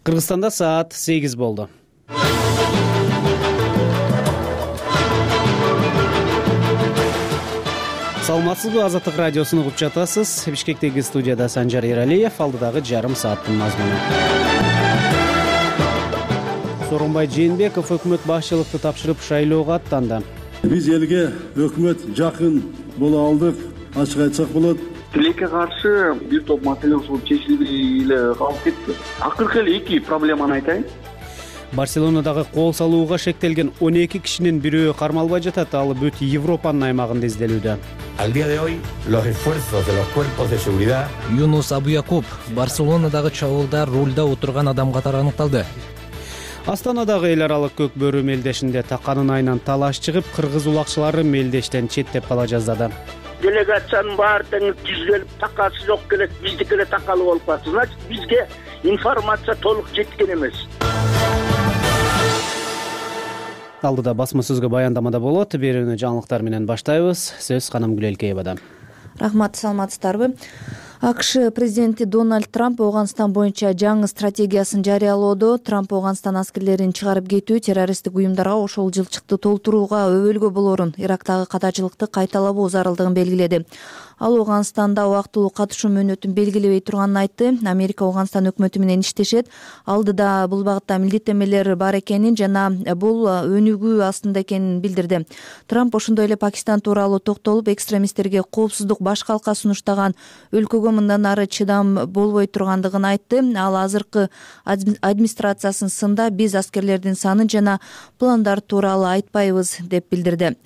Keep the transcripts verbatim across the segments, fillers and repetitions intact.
Кыргызстанда саат сегиз болду. Саламатсызбы, Азаттык радиосуну угуп жатасыз. Бишкектеги студияда Санжар Эралиев, алдыдагы жарым сааттын мазмуну. Сооронбай Жээнбеков өкмөт башчылыкты тапшырып шайлоого аттанды. Биз элге өкмөт жакын боло алдык, ачык айтсак болот. Тилекке каршы бир топ маселе ушул чечилбей эле калып кетти. Акыркы эле эки проблеманы айтайын. Барселонадагы кол салууга шектелген он эки кишинин бирөө кармалбай жатат. Ал бүт Европанын аймагында изделүүдө. Al día de hoy, los esfuerzos de los cuerpos de seguridad. Юнус Абуякуп Барселонадагы чабуулда рулда отурган адам катары аныкталды. Астанадагы эл аралык көк бөрү мелдешинде таканын айынан талаш чыгып, кыргыз улакчылары мелдештен четтеп кала жаздады. Делегациянын баары тең түзүлүп, такасы жок келет, биздики эле такалуу болуп калды. Значит, бизге информация толук жеткен эмес. Алдыда басма сөзгө баяндамада болот. Берүүнү жаңылыктар менен баштайбыз. Сөз Канам Гүлелкеевада. Рахмат, саламатсыздарбы? АКШ президенти Дональд Трамп Ооганстан боюнча жаңы стратегиясын жарыялоодо. Трамп Ооганстан аскерлерин чыгарып кетүү, террористтик уюмдарга ошол жылчыкты толтурууга өбөлгө болорун, Ирактагы катачылыкты кайталабоо зарылдыгын белгиледи. Ал Ооганстанда убактылуу катышуу мөөнөтүн белгилебей турганын айтты. Америка Ооганстан өкмөтү менен иштешет. Алдыда бул багытта милдеттенмелер бар экенин жана бул өнүгүү астында экенин билдирди. Трамп ошондой эле Пакистан тууралуу токтолуп, экстремисттерге коопсуздук баш калка сунуштаган өлкөгө мындан ары чыдам болбой тургандыгын айтты. Ал азыркы администрациясынын сында биз аскерлердин санын жана пландары тууралуу айтпайбыз деп билдирди.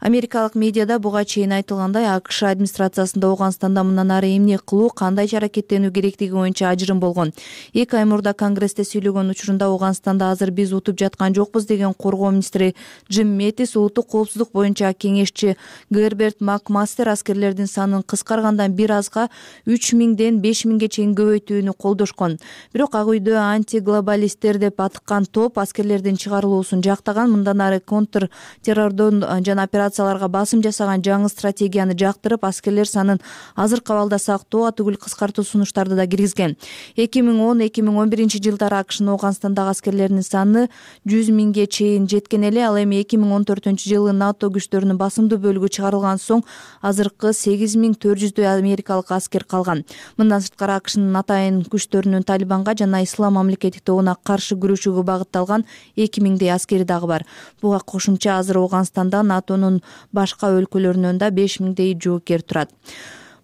Америкалык медиада буга чейин айтылгандай, АКШ администрациясы Ооганстанда мындан ары эмне кылуу, кандай аракеттенүү керектиги боюнча ажырым болгон. Эки ай мурда Конгрессте сүйлөгөн учурунда Ооганстанда азыр биз утуп жаткан жокпуз деген коргоо министри Джим Метис, улуттук коопсуздук боюнча кеңешчи Герберт Макмастер аскерлердин санын кыскаргандан бир азга үч миңден беш миңге чейин көбөйтүүнү колдошкон. Бирок ак үйдө антиглобалисттер деп атыккан топ аскерлердин чыгарылуусун жактаган, мындан ары контр террордон жана операцияларга басым жасаган жаңы стратегияны жактырып, аскерлер санын азыркы абалда сактоо, атүгүл кыскартуу сунуштарды да киргизген. эки миң он эки миң он биринчи жылдары АКШнын Ооганстандагы аскерлеринин саны жүз миңге чейин жеткен эле. Ал эми эки миң он төртүнчү жылы НАТО күчтөрүнүн басымдуу бөлүгү чыгарылган соң азыркы сегиз миң төрт жүздөй америкалык аскер калган. Мындан сырткары АКШнын атайын күчтөрүнүн Талибанга жана Ислам мамлекети тобуна каршы күрөшүүгө багытталган эки миңдей аскери дагы бар. Буга кошумча азыр Ооганстанда НАТОнун башка өлкөлөрүнөн да беш миңдей жоокер турат.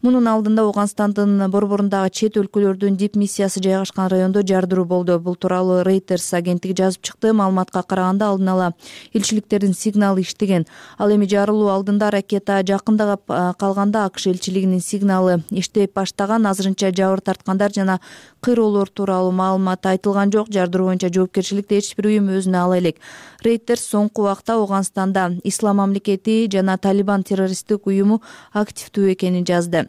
Мунун алдында Ооганстандын борборундагы чет өлкөлөрдүн дип миссиясы жайгашкан райондо жардыруу болду. Бул тууралуу Reuters агенттиги жазып чыкты. Маалыматка караганда алдын ала элчиликтердин сигналы иштеген. Ал эми жарылуу алдында ракета жакында калганда АКШ элчилигинин сигналы иштеп баштаган. Азырынча жабыр тарткандар жана кыйроолор тууралуу маалымат айтылган жок. Жардыруу боюнча жоопкерчиликти эч бир уюм өзүнө ала элек. Reuters соңку убакта Ооганстанда Ислам мамлекети жана Талибан террористтик уюму активдүү экенин жазды.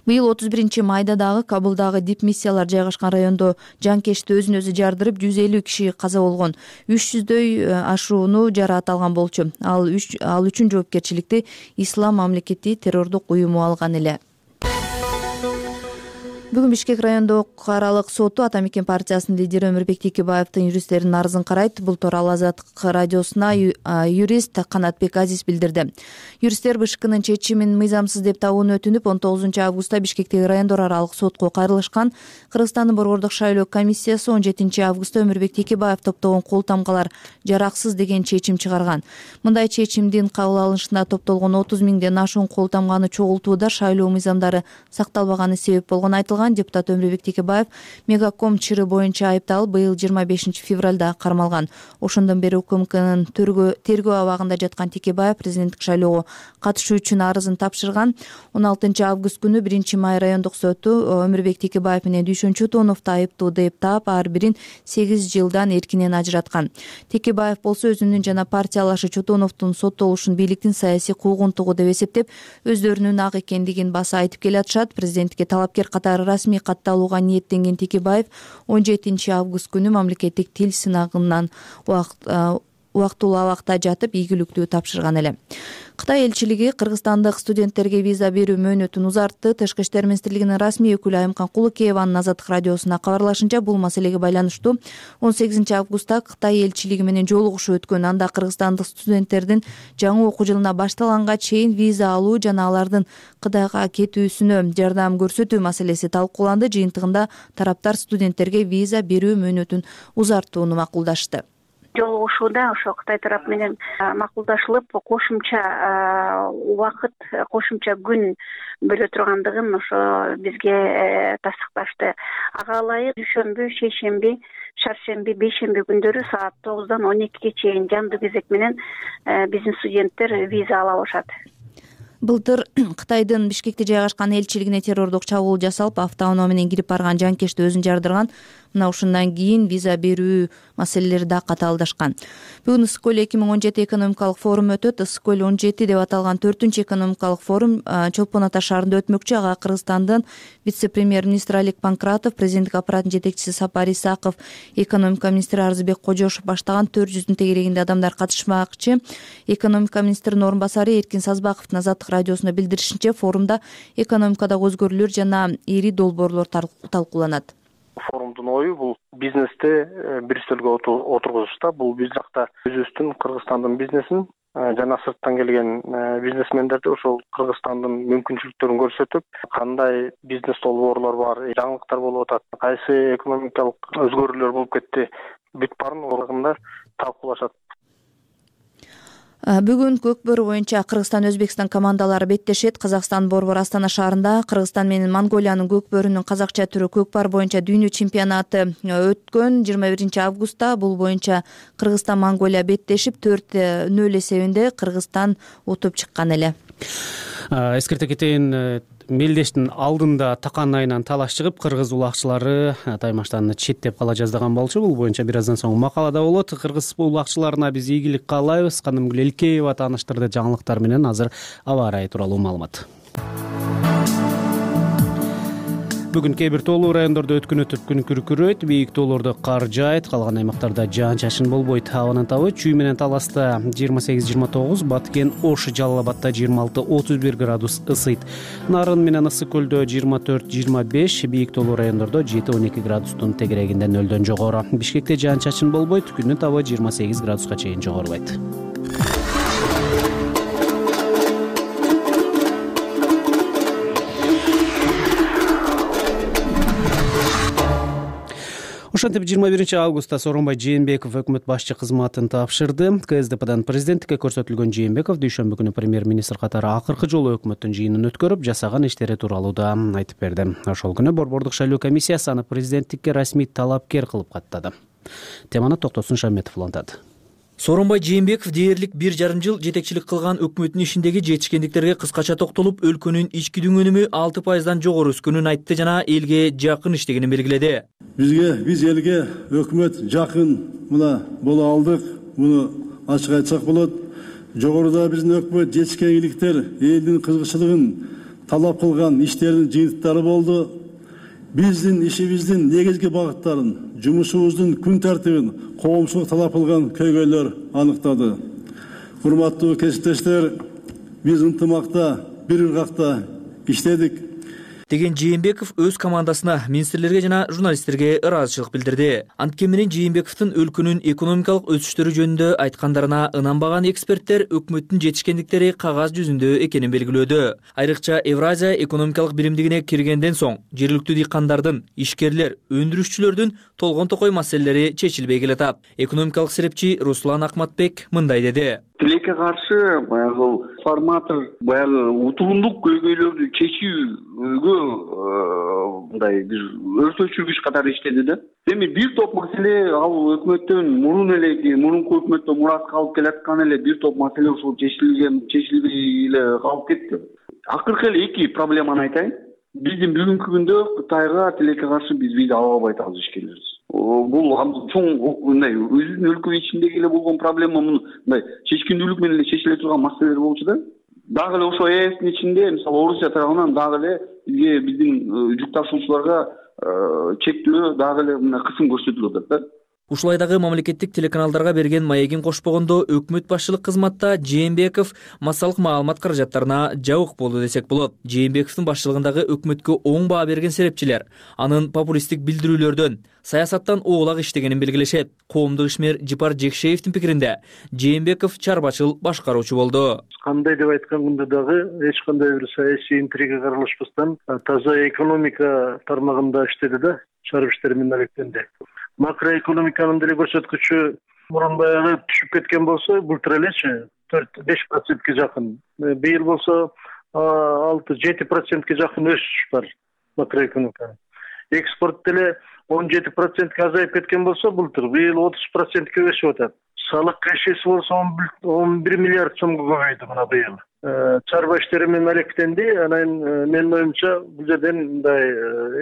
Быйыл отуз биринчи майда дагы Кабулдагы дип миссиялар жайгашкан райондо жанкечти өзүн өзү жардырып, жүз элүү киши каза болгон. үч жүздөй ашууну жараат алган болчу. Ал ал үчүн жоопкерчиликти Ислам мамлекети террордук уюму алган эле. Бүгүн Бишкек райондук аралык соту Ата Мекен партиясынын лидери Өмүрбек Текебаевдин юристтеринин арызын карайт. Бул тууралуу Азаттык радиосуна юрист Канатбек Азиз билдирди. Юристтер БШКнын чечимин мыйзамсыз деп табууну өтүнүп, он тогузунчу августта Бишкектеги райондор аралык сотко кайрылышкан. Кыргызстандын борбордук шайлоо комиссиясы он жетинчи августта Өмүрбек Текебаев топтогон кол тамгалар жараксыз деген чечим чыгарган. Мындай чечимдин кабыл алынышына топтолгон отуз миңден ашуун кол тамганы чогултууда шайлоо мыйзамдары сакталбаганы себеп болгон айтылган. Депутат Өмүрбек Текебаев Мегаком чыры боюнча айыпталып, быйыл жыйырма бешинчи февралда кармалган. Ошондон бери УКМКнын тергөө абагында жаткан Текебаев президенттик шайлоого катышуу үчүн арызын тапшырган. он алтынчы август күнү биринчи май райондук соту Өмүрбек Текебаев менен Дүйшөн Чотоновду айыптуу деп таап, ар бирин сегиз жылдан эркинен ажыраткан. Текебаев болсо өзүнүн жана партиялашы Чотоновдун соттолушун бийликтин саясий куугунтугу деп эсептеп, өздөрүнүн ак экендигин баса айтып келатышат. Президенттикке талапкер катары расмий катталууга ниеттенген Текебаев он жетинчи август күнү мамлекеттик тил сынагынан убакыт убактылуу абакта жатып ийгиликтүү тапшырган эле. Кытай элчилиги кыргызстандык студенттерге виза берүү мөөнөтүн узартты. Тышкы иштер министрлигинин расмий өкүлү Айымкан Кулукееванын Азаттык радиосуна кабарлашынча, бул маселеге байланыштуу он сегизинчи августта Кытай элчилиги менен жолугушуу өткөн. Анда кыргызстандык студенттердин жаңы окуу жылына башталганга чейин виза алуу жана алардын Кытайга кетүүсүнө жардам көрсөтүү маселеси талкууланды. Жыйынтыгында тараптар студенттерге виза берүү мөөнөтүн узартууну макулдашты. Жолугушууда ошо Кытай тарап менен макулдашылып, кошумча убакыт, кошумча күн бөлө тургандыгын ошо бизге тастыкташты. Ага ылайык дүйшөмбү, шейшемби, шаршемби, бейшемби күндөрү саат тогуздан он экиге чейин жандуу кезек менен биздин студенттер виза ала алышат. Былтыр Кытайдын Бишкекте жайгашкан элчилигине террордук чабуул жасалып, автоунаа менен кирип барган жанкечти өзүн жардырган. Мына ушундан кийин виза берүү маселелери да катаалдашкан. Бүгүн Ысык-Көл эки миң он жети экономикалык форум өтөт. Ысык-Көл он жети деп аталган төртүнчү экономикалык форум Чолпон Ата шаарында өтмөкчү. Ага Кыргызстандын вице-премьер-министри Алик Панкратов, президенттик аппараттын жетекчиси Сапар Исаков, экономика министри Арзыбек Кожошов баштаган төрт жүздүн тегерегинде адамдар катышмакчы. Экономика министринин орун басары Эркин Сазбаковдун Азаттык радиосуна билдиришинче, форумда экономикадагы өзгөрүүлөр жана ири долбоорлор талкууланат. Форумдун ою бул бизнести бир стөлгө отургузушта. Бул бир жакта өзүбүздүн Кыргызстандын бизнесин жана сырттан келген бизнесмендерди ошол Кыргызстандын мүмкүнчүлүктөрүн көрсөтүп, кандай бизнес долбоорлор бар, жаңылыктар болуп атат, кайсы экономикалык өзгөрүүлөр болуп кетти, бүт баарын орагында талкуулашат. Бүгүн көк бөрү боюнча Кыргызстан Өзбекстан командалары беттешет. Казакстан Борбор Астана шаарында Кыргызстан менен Монголиянын көк бөрүнүн казакча түрү көкпар боюнча дүйнө чемпионаты өткөн жыйырма биринчи августта. Бул боюнча Кыргызстан Монголия беттешип төрт нөл эсебинде Кыргызстан утуп чыккан эле. Эскерте кетейин, мелдештин алдында такан айынан талаш чыгып, кыргыз улакчылары таймаштан четтеп кала жаздаган болчу. Бул боюнча бир аздан соң макалада болот. Кыргыз улакчыларына биз ийгилик каалайбыз. Канымгүл Элкеева тааныштырды жаңылыктар менен. Азыр аба ырайы тууралуу маалымат. Бүгүн кээ бир тоолуу райондордо өткүнөтүп күн күркүрөйт, бийик тоолордо кар жаайт, калган аймактарда жаан-чачын болбойт. Абанын табы Чүй менен Таласта жыйырма сегиз жыйырма тогуз, Баткен, Ош, Жалал Абадда жыйырма алты отуз бир градус ысыйт. Нарын менен Ысык-Көлдө жыйырма төрт жыйырма беш, бийик тоолуу райондордо жети он эки градустун тегерегинде нөлдөн жогору. Бишкекте жаан-чачын болбойт, күндүн табы жыйырма сегиз градуска чейин жогорубайт. Ошентип жыйырма биринчи августта Сооронбай Жээнбеков өкмөт башчы кызматын тапшырды. КСДПдан президенттикке көрсөтүлгөн Жээнбеков дүйшөмбү күнү премьер-министр катары акыркы жолу өкмөттүн жыйынын өткөрүп, жасаган иштери тууралуу да айтып берди. Ошол күнү борбордук шайлоо комиссиясы аны президенттикке расмий талапкер кылып каттады. Теманы Токтосун Шаметов улантат. Сооронбай Жээнбеков дээрлик бир жарым жыл жетекчилик кылган өкмөттүн ишиндеги жетишкендиктерге кыскача токтолуп, өлкөнүн ички дүңөнүмү алты пайыздан жогору өскөнүн айтты жана элге жакын иштегенин белгиледи. Бизге, биз элге өкмөт жакын мына боло алдык. Муну ачык айтсак болот. Жогоруда биздин өкмөт жетишкендиктер элдин кызыкчылыгын талап кылган иштердин жыйынтыктары болду. Биздин ишибиздин негизги багыттарын, жумушубуздун күн тартибин коомчулук талап кылган көйгөйлөр аныктады. Урматтуу кесиптештер, биз ынтымакта, бир ыргакта иштедик деген Жээнбеков өз командасына, министрлерге жана журналисттерге ыраазычылык билдирди. Анткени менен Жээнбековдун өлкөнүн экономикалык өсүштөрү жөнүндө айткандарына ынанбаган эксперттер өкмөттүн жетишкендиктери кагаз жүзүндө экенин белгилөөдө. Айрыкча Евразия экономикалык биримдигине киргенден соң жергиликтүү дыйкандардын, ишкерлер, өндүрүшчүлөрдүн толгон токой маселелери чечилбей келатат. Экономикалык серепчи Руслан Акматбек мындай деди. Тилекке каршы баягы форматор баягы утурундук көйгөйлөрдү чечүүгө мындай бир өртөчүргүч катары иштеди да. Эми бир топ маселе ал өкмөттөн мурун эле, мурунку өкмөттөн мурас калып келаткан эле бир топ маселе ушул чечилген, чечилбей эле калып кетти. Акыркы эле эки проблеманы айтайын. Биздин бүгүнкү күндө Кытайга тилекке каршы биз виза ала албай атабыз ишкерлерибиз. Бул чоң мындай өзүнүн өлкө ичиндеги эле болгон проблема, мындай чечкиндүүлүк менен эле чечиле турган маселелер болчу да. Дагы эле ошо ЭСтин ичинде, мисалы Орусия тарабынан дагы эле бизге биздин жүк ташуучуларга чектөө дагы эле мына кысым көрсөтүлүп атат да. Ушулай дагы мамлекеттик телеканалдарга берген маегин кошпогондо өкмөт башчылык кызматта Жээнбеков массалык маалымат каражаттарына жабык болду десек болот. Жээнбековдун башчылыгындагы өкмөткө оң баа берген серепчилер анын популисттик билдирүүлөрдөн, саясаттан оолак иштегенин белгилешет. Коомдук ишмер Жипар Жекшеевдин пикиринде Жээнбеков чарбачыл башкаруучу болду. Кандай деп айтканда дагы эч кандай бир саясий интрига аралашпастан таза экономика тармагында иштеди да, чарып иштери менен алектенди. Макроэкономиканын деле көрсөткүчү мурун баягы түшүп кеткен болсо, былтыр элечи төрт беш процентке жакын. Быйыл болсо алты жети процентке жакын өсүш бар макроэкономикада. Экспорт деле он жети процентке азайып кеткен болсо, былтыр быйыл отуз процентке өсүп атат. Салык кешеси болсо он бир миллиард сомго көбөйдү мына быйыл. Чарба иштери менен алектенди. Анан менин оюмча бул жерден мындай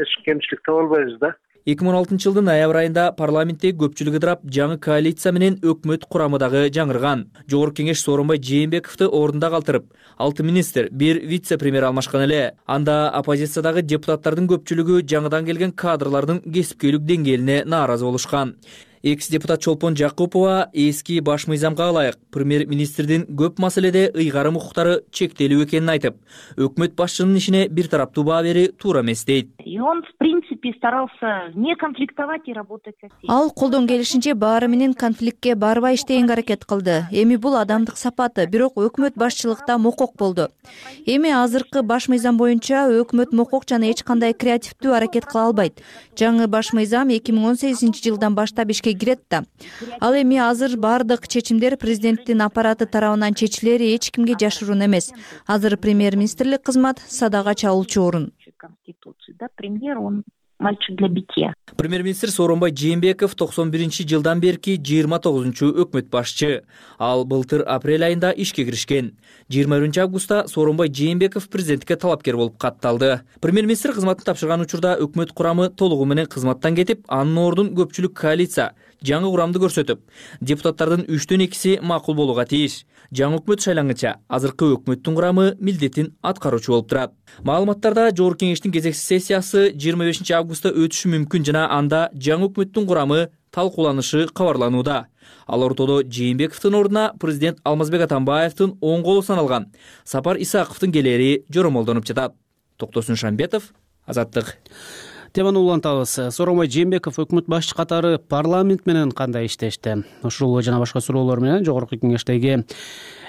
эч кемчилик таба албайбыз да. эки миң он алтынчы жылдын ноябрь айында парламентте көпчүлүк ыдырап, жаңы коалиция менен өкмөт курамы дагы жаңырган. Жогорку кеңеш Сооронбай Жээнбековду ордунда калтырып, алты министр, бир вице-премьер алмашкан эле. Анда оппозициядагы депутаттардын көпчүлүгү жаңыдан келген кадрлардын кесипкөйлүк деңгээлине нааразы болушкан. Экс-депутат Чолпон Жакупова эски баш мыйзамга ылайык премьер-министрдин көп маселеде ыйгарым укуктары чектелүү экенин айтып, өкмөт башчынын ишине бир тараптуу баа берүү туура эмес дейт. И он в принципе старался не конфликтовать и работать со всеми. Ал колдон келишинче баары менен конфликтке барбай иштегенге аракет кылды. Эми бул адамдык сапаты, бирок өкмөт башчылыкта мокок болду. Эми азыркы баш мыйзам боюнча өкмөт мокок жана эч кандай креативдүү аракет кыла албайт. Жаңы баш мыйзам эки миң он сегизинчи жылдан баштап ишке кирет да. Ал эми азыр бардык чечимдер президенттин аппараты тарабынан чечилери эч кимге жашыруун эмес. Азыр премьер-министрлик кызмат садага чалуучу орун. Да, премьер он мальчик для битья. Премьер-министр Сооронбай Жээнбеков токсон биринчи жылдан берки жыйырма тогузунчу өкмөт башчы. Ал былтыр апрель айында ишке киришкен. жыйырма биринчи августта Сооронбай Жээнбеков президентке талапкер болуп катталды. Премьер-министр кызматын тапшырган учурда өкмөт курамы толугу менен кызматтан кетип, анын ордун көпчүлүк коалиция жаңы курамды көрсөтүп, депутаттардын үчтөн экиси макул болууга тийиш. Жаңы өкмөт шайлангыча азыркы өкмөттүн курамы милдетин аткаруучу болуп турат. Маалыматтарда Жогорку кеңештин кезексиз сессиясы жыйырма бешинчи августта өтүшү мүмкүн жана анда жаңы өкмөттүн курамы талкууланышы кабарланууда. Ал ортодо Жээнбековдун ордуна президент Алмазбек Атамбаевдин оң колу саналган Сапар Исаковдун келери жоромолдонуп жатат. Токтосун Шамбетов, Азаттык. Теманы улантабыз. Сооронбай Жээнбеков өкмөт башчы катары парламент менен кандай иштешти? Ушул жана башка суроолор менен Жогорку кеңештеги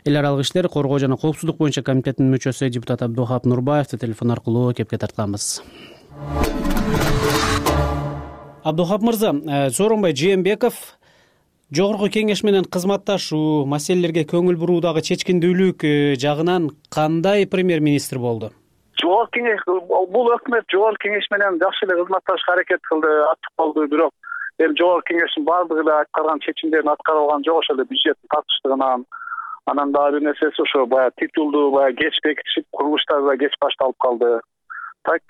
эл аралык иштер, коргоо жана коопсуздук боюнча комитеттин мүчөсү депутат Абдухап Нурбаевди телефон аркылуу кепке тартканбыз. Абдухап мырза, Сооронбай Жээнбеков Жогорку кеңеш менен кызматташуу, маселелерге көңүл буруудагы чечкиндүүлүк жагынан кандай премьер-министр болду? Жогорку кеңеш бул өкмөт Жогорку кеңеш менен жакшы эле кызматташууга аракет кылды, аттык болду, бирок эми Жогорку кеңештин баардыгы эле аткарган чечимдерин аткара алган жок, ошол эле бюджеттин тартыштыгынан, анан дагы бир нерсеси ошо баягы титулду баягы кеч бекитишип, курулуштар да кеч башталып калды. Так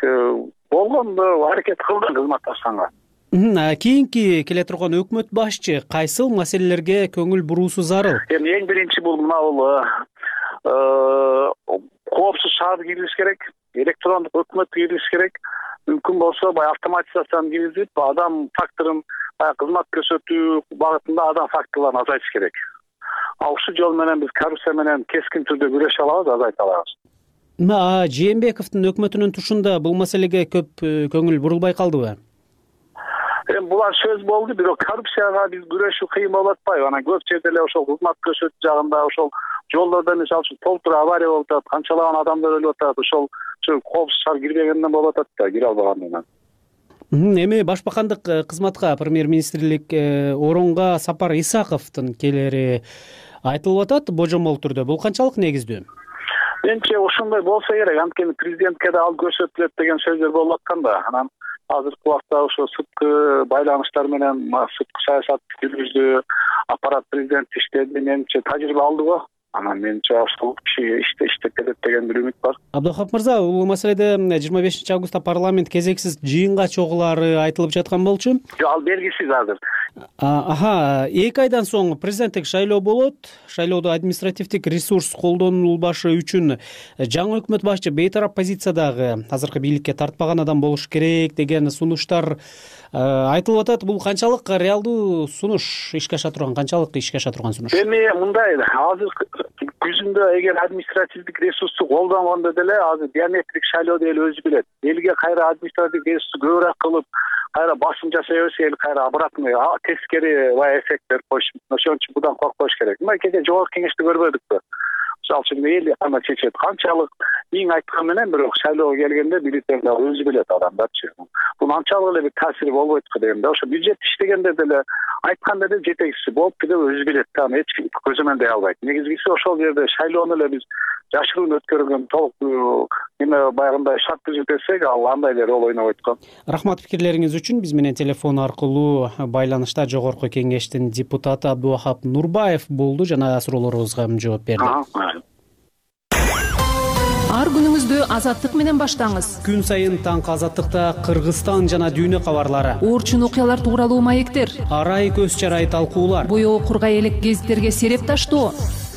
болгондо аракет кылды кызматташканга. Кийинки келе турган өкмөт башчы кайсыл маселелерге көңүл буруусу зарыл? Эми эң биринчи бул мына бул коопсуз шаар киргизиш керек, электрондук өкмөт киргизиш керек. Мүмкүн болсо баягы автоматизацияны киргизип, адам факторун баягы кызмат көрсөтүү багытында адам факторлорун азайтыш керек. А ушул жол менен биз коррупция менен кескин түрдө күрөшө алабыз, азайта алабыз. Мына Жээнбековдун өкмөтүнүн тушунда бул маселеге көп көңүл бурулбай калдыбы? Эми булар сөз болду, бирок коррупцияга биз күрөшүү кыйын болуп атпайбы? Анан көп жерде эле ошол кызмат көрсөтүү жагында, ошол жолдордо мисалы үчүн толтура авария болуп атат, канчалаган адамдар өлүп атат, ошол коопсуз шаар кирбегенден болуп атат да, кире албагандан. Эми башбакандык кызматка премьер-министрлик орунга Сапар Исаковдун келери айтылып атат божомол түрдө. Бул канчалык негиздүү? Менимче ошондой болсо керек, анткени президентке да ал көрсөтүлөт деген сөздөр болуп аткан да. Анан азыркы убакта ошо сырткы байланыштар менен сырткы саясат жүргүздү, аппарат президент иштеди, менимче тажрыйба алды го. Анан менимче ошол киши иштеп кетет деген бир үмүт бар. Абдухап мырза, бул маселеде жыйырма бешинчи августта парламент кезексиз жыйынга чогулаары айтылып жаткан болчу. Жок, ал белгисиз азыр. Аха, эки айдан соң президенттик шайлоо болот. Шайлоодо административдик ресурс колдонулбашы үчүн жаңы өкмөт башчы бейтарап позициядагы азыркы бийликке тартпаган адам болуш керек деген сунуштар айтылып атат. Бул канчалык реалдуу сунуш, ишке аша турган, канчалык ишке аша турган сунуш? Эми мындай, азыр күзүндө эгер административдик ресурсту колдонгондо деле азыр биометрик шайлоо деле өзү билет. Элге кайра административдик ресурсту көбүрөөк кылып, кайра басым жасай берсе, эл кайра обратный тескери бай эффект берип коюш. Ошон үчүн будан коркпош керек. Мына кечээ жогорку кеңеште көрбөдүкпү? Мисалы үчүн эл ана чечет. Канчалык эң айткан менен бирок шайлоого келгенде бюллетень өзү билет адамдарчы. Бул анчалык эле бир таасири болбойт го дегенде. Ошо бюджет иштегенде деле айтканда деле жетекчиси болупту деп өзү билет. Аны эч ким көзөмөндөй албайт. Негизгиси ошол жерде шайлоону эле биз жашыруун өткөргөн, толук эме баягындай шарт түзүлсек, ал андай эле роль ойнобойт го. Рахмат пикирлериңиз үчүн. Биз менен телефон аркылуу байланышта Жогорку кеңештин депутаты Абдувахап Нурбаев болду жана суроолорубузга жооп берди. Ар күнүңүздү азаттык менен баштаңыз. Күн сайын таңкы азаттыкта Кыргызстан жана дүйнө кабарлары, Орчун окуялар тууралуу маектер, арай көз чарай талкуулар, боёо кургай элек гезиттерге сереп таштоо.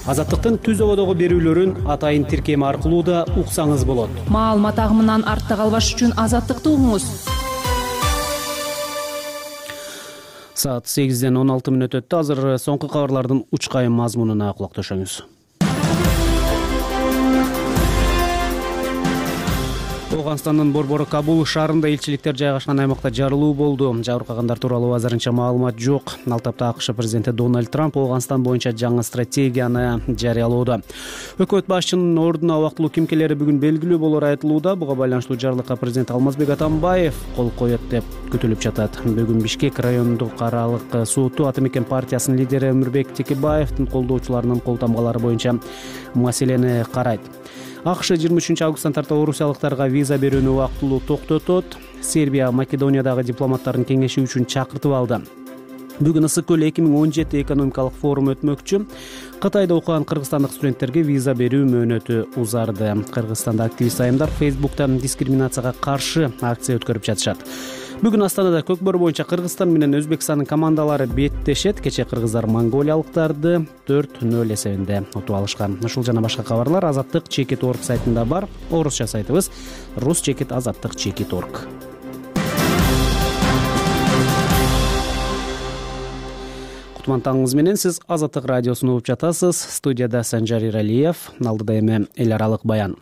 Азаттыктын түз ободогу берүүлөрүн атайын тиркеми аркылуу да уксаңыз болот. Маалымат агымынан артта калбаш үчүн азаттыкты угуңуз. Саат сегизден он алты мүнөт өттү. Азыр соңку кабарлардын учкайым мазмунуна кулак төшөңүз. Ооганстандын борбору Кабул шаарында элчиликтер жайгашкан аймакта жарылуу болду. Жабыркагандар тууралуу азырынча маалымат жок. Ал тапта АКШ президенти Дональд Трамп Ооганстан боюнча жаңы стратегияны жарыялоодо. Өкмөт башчынын ордуна убактылуу кимкелери бүгүн белгилүү болор айтылууда. Буга байланыштуу жарлыкка президент Алмазбек Атамбаев кол коет деп күтүлүп жатат. Бүгүн Бишкек райондук аралык соту Ата Мекен партиясынын лидери Өмүрбек Текебаевдин колдоочуларынын кол тамгалары боюнча маселени карайт. АКШ жыйырма үчүнчү августтан тарта орусиялыктарга виза берүүнү убактылуу токтотот. Сербия Македониядагы дипломаттардын кеңеши үчүн чакыртып алды. Бүгүн Ысык көл эки миң он жети экономикалык форум өтмөкчү. Кытайда окуган кыргызстандык студенттерге виза берүү мөөнөтү узарды. Кыргызстанда активист айымдар Фейсбуктан дискриминацияга каршы акция өткөрүп жатышат. Бүгүн Астанада көкбөр боюнча Кыргызстан менен Өзбекстандын командалары беттешет. Кечээ кыргыздар монголиялыктарды төрт нөл эсебинде утуп алышкан. Ушул жана башка кабарлар Азаттык чекит точка орг сайтында бар. Орусча сайтыбыз рус чекит азаттык чекит точка орг. Кутман таңыңыз менен сиз Азаттык радиосун угуп жатасыз. Студияда Санжар Иралиев, алдыда эми эл аралык баян.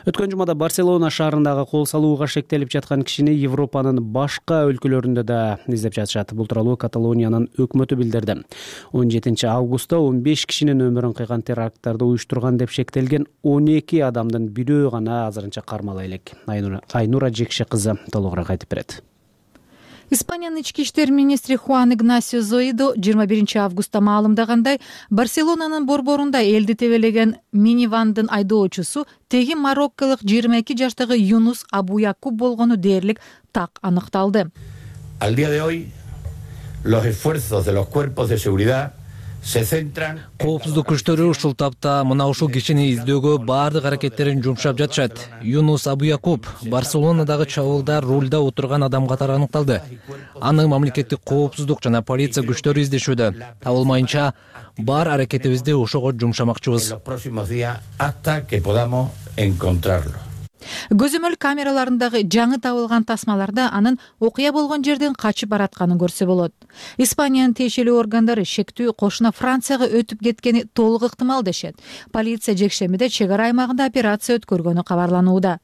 Өткөн жумада Барселона шаарындагы кол салууга шектелип жаткан кишини Европанын башка өлкөлөрүндө да издеп жатышат. Бул тууралуу Каталониянын өкмөтү билдирди. он жетинчи августта он беш кишинин өмүрүн кыйган теракттарды уюштурган деп шектелген он эки адамдын бирөө гана азырынча кармала элек. Айнура Жекше кызы толугураак айтып берет. Испаниянын ички иштер министри Хуан Игнасио Зоидо жыйырма биринчи августта маалымдагандай, Барселонанын борборунда элди тебелеген минивандын айдоочусу теги марокколук жыйырма эки жаштагы Юнус Абуякуб болгону дээрлик так аныкталды. Al día de hoy, los esfuerzos de los cuerpos de seguridad Коопсуздук күчтөрү ушул тапта мына ушул кишини издөөгө баардык аракеттерин жумшап жатышат. Юнус Абуякуб Барселонадагы чабуулда рулда отурган адам катары аныкталды. Аны мамлекеттик коопсуздук жана полиция күчтөрү издешүүдө. Табылмайынча бар аракетибизди ошого жумшамакчыбыз. Көзөмөл камераларындагы жаңы табылган тасмаларда анын окуя болгон жерден качып баратканын көрсө болот. Испаниянын тиешелүү органдары шектүү кошуна Францияга өтүп кеткени толук ыктымал дешет. Полиция жекшемиде чек ара аймагында операция өткөргөнү кабарланууда.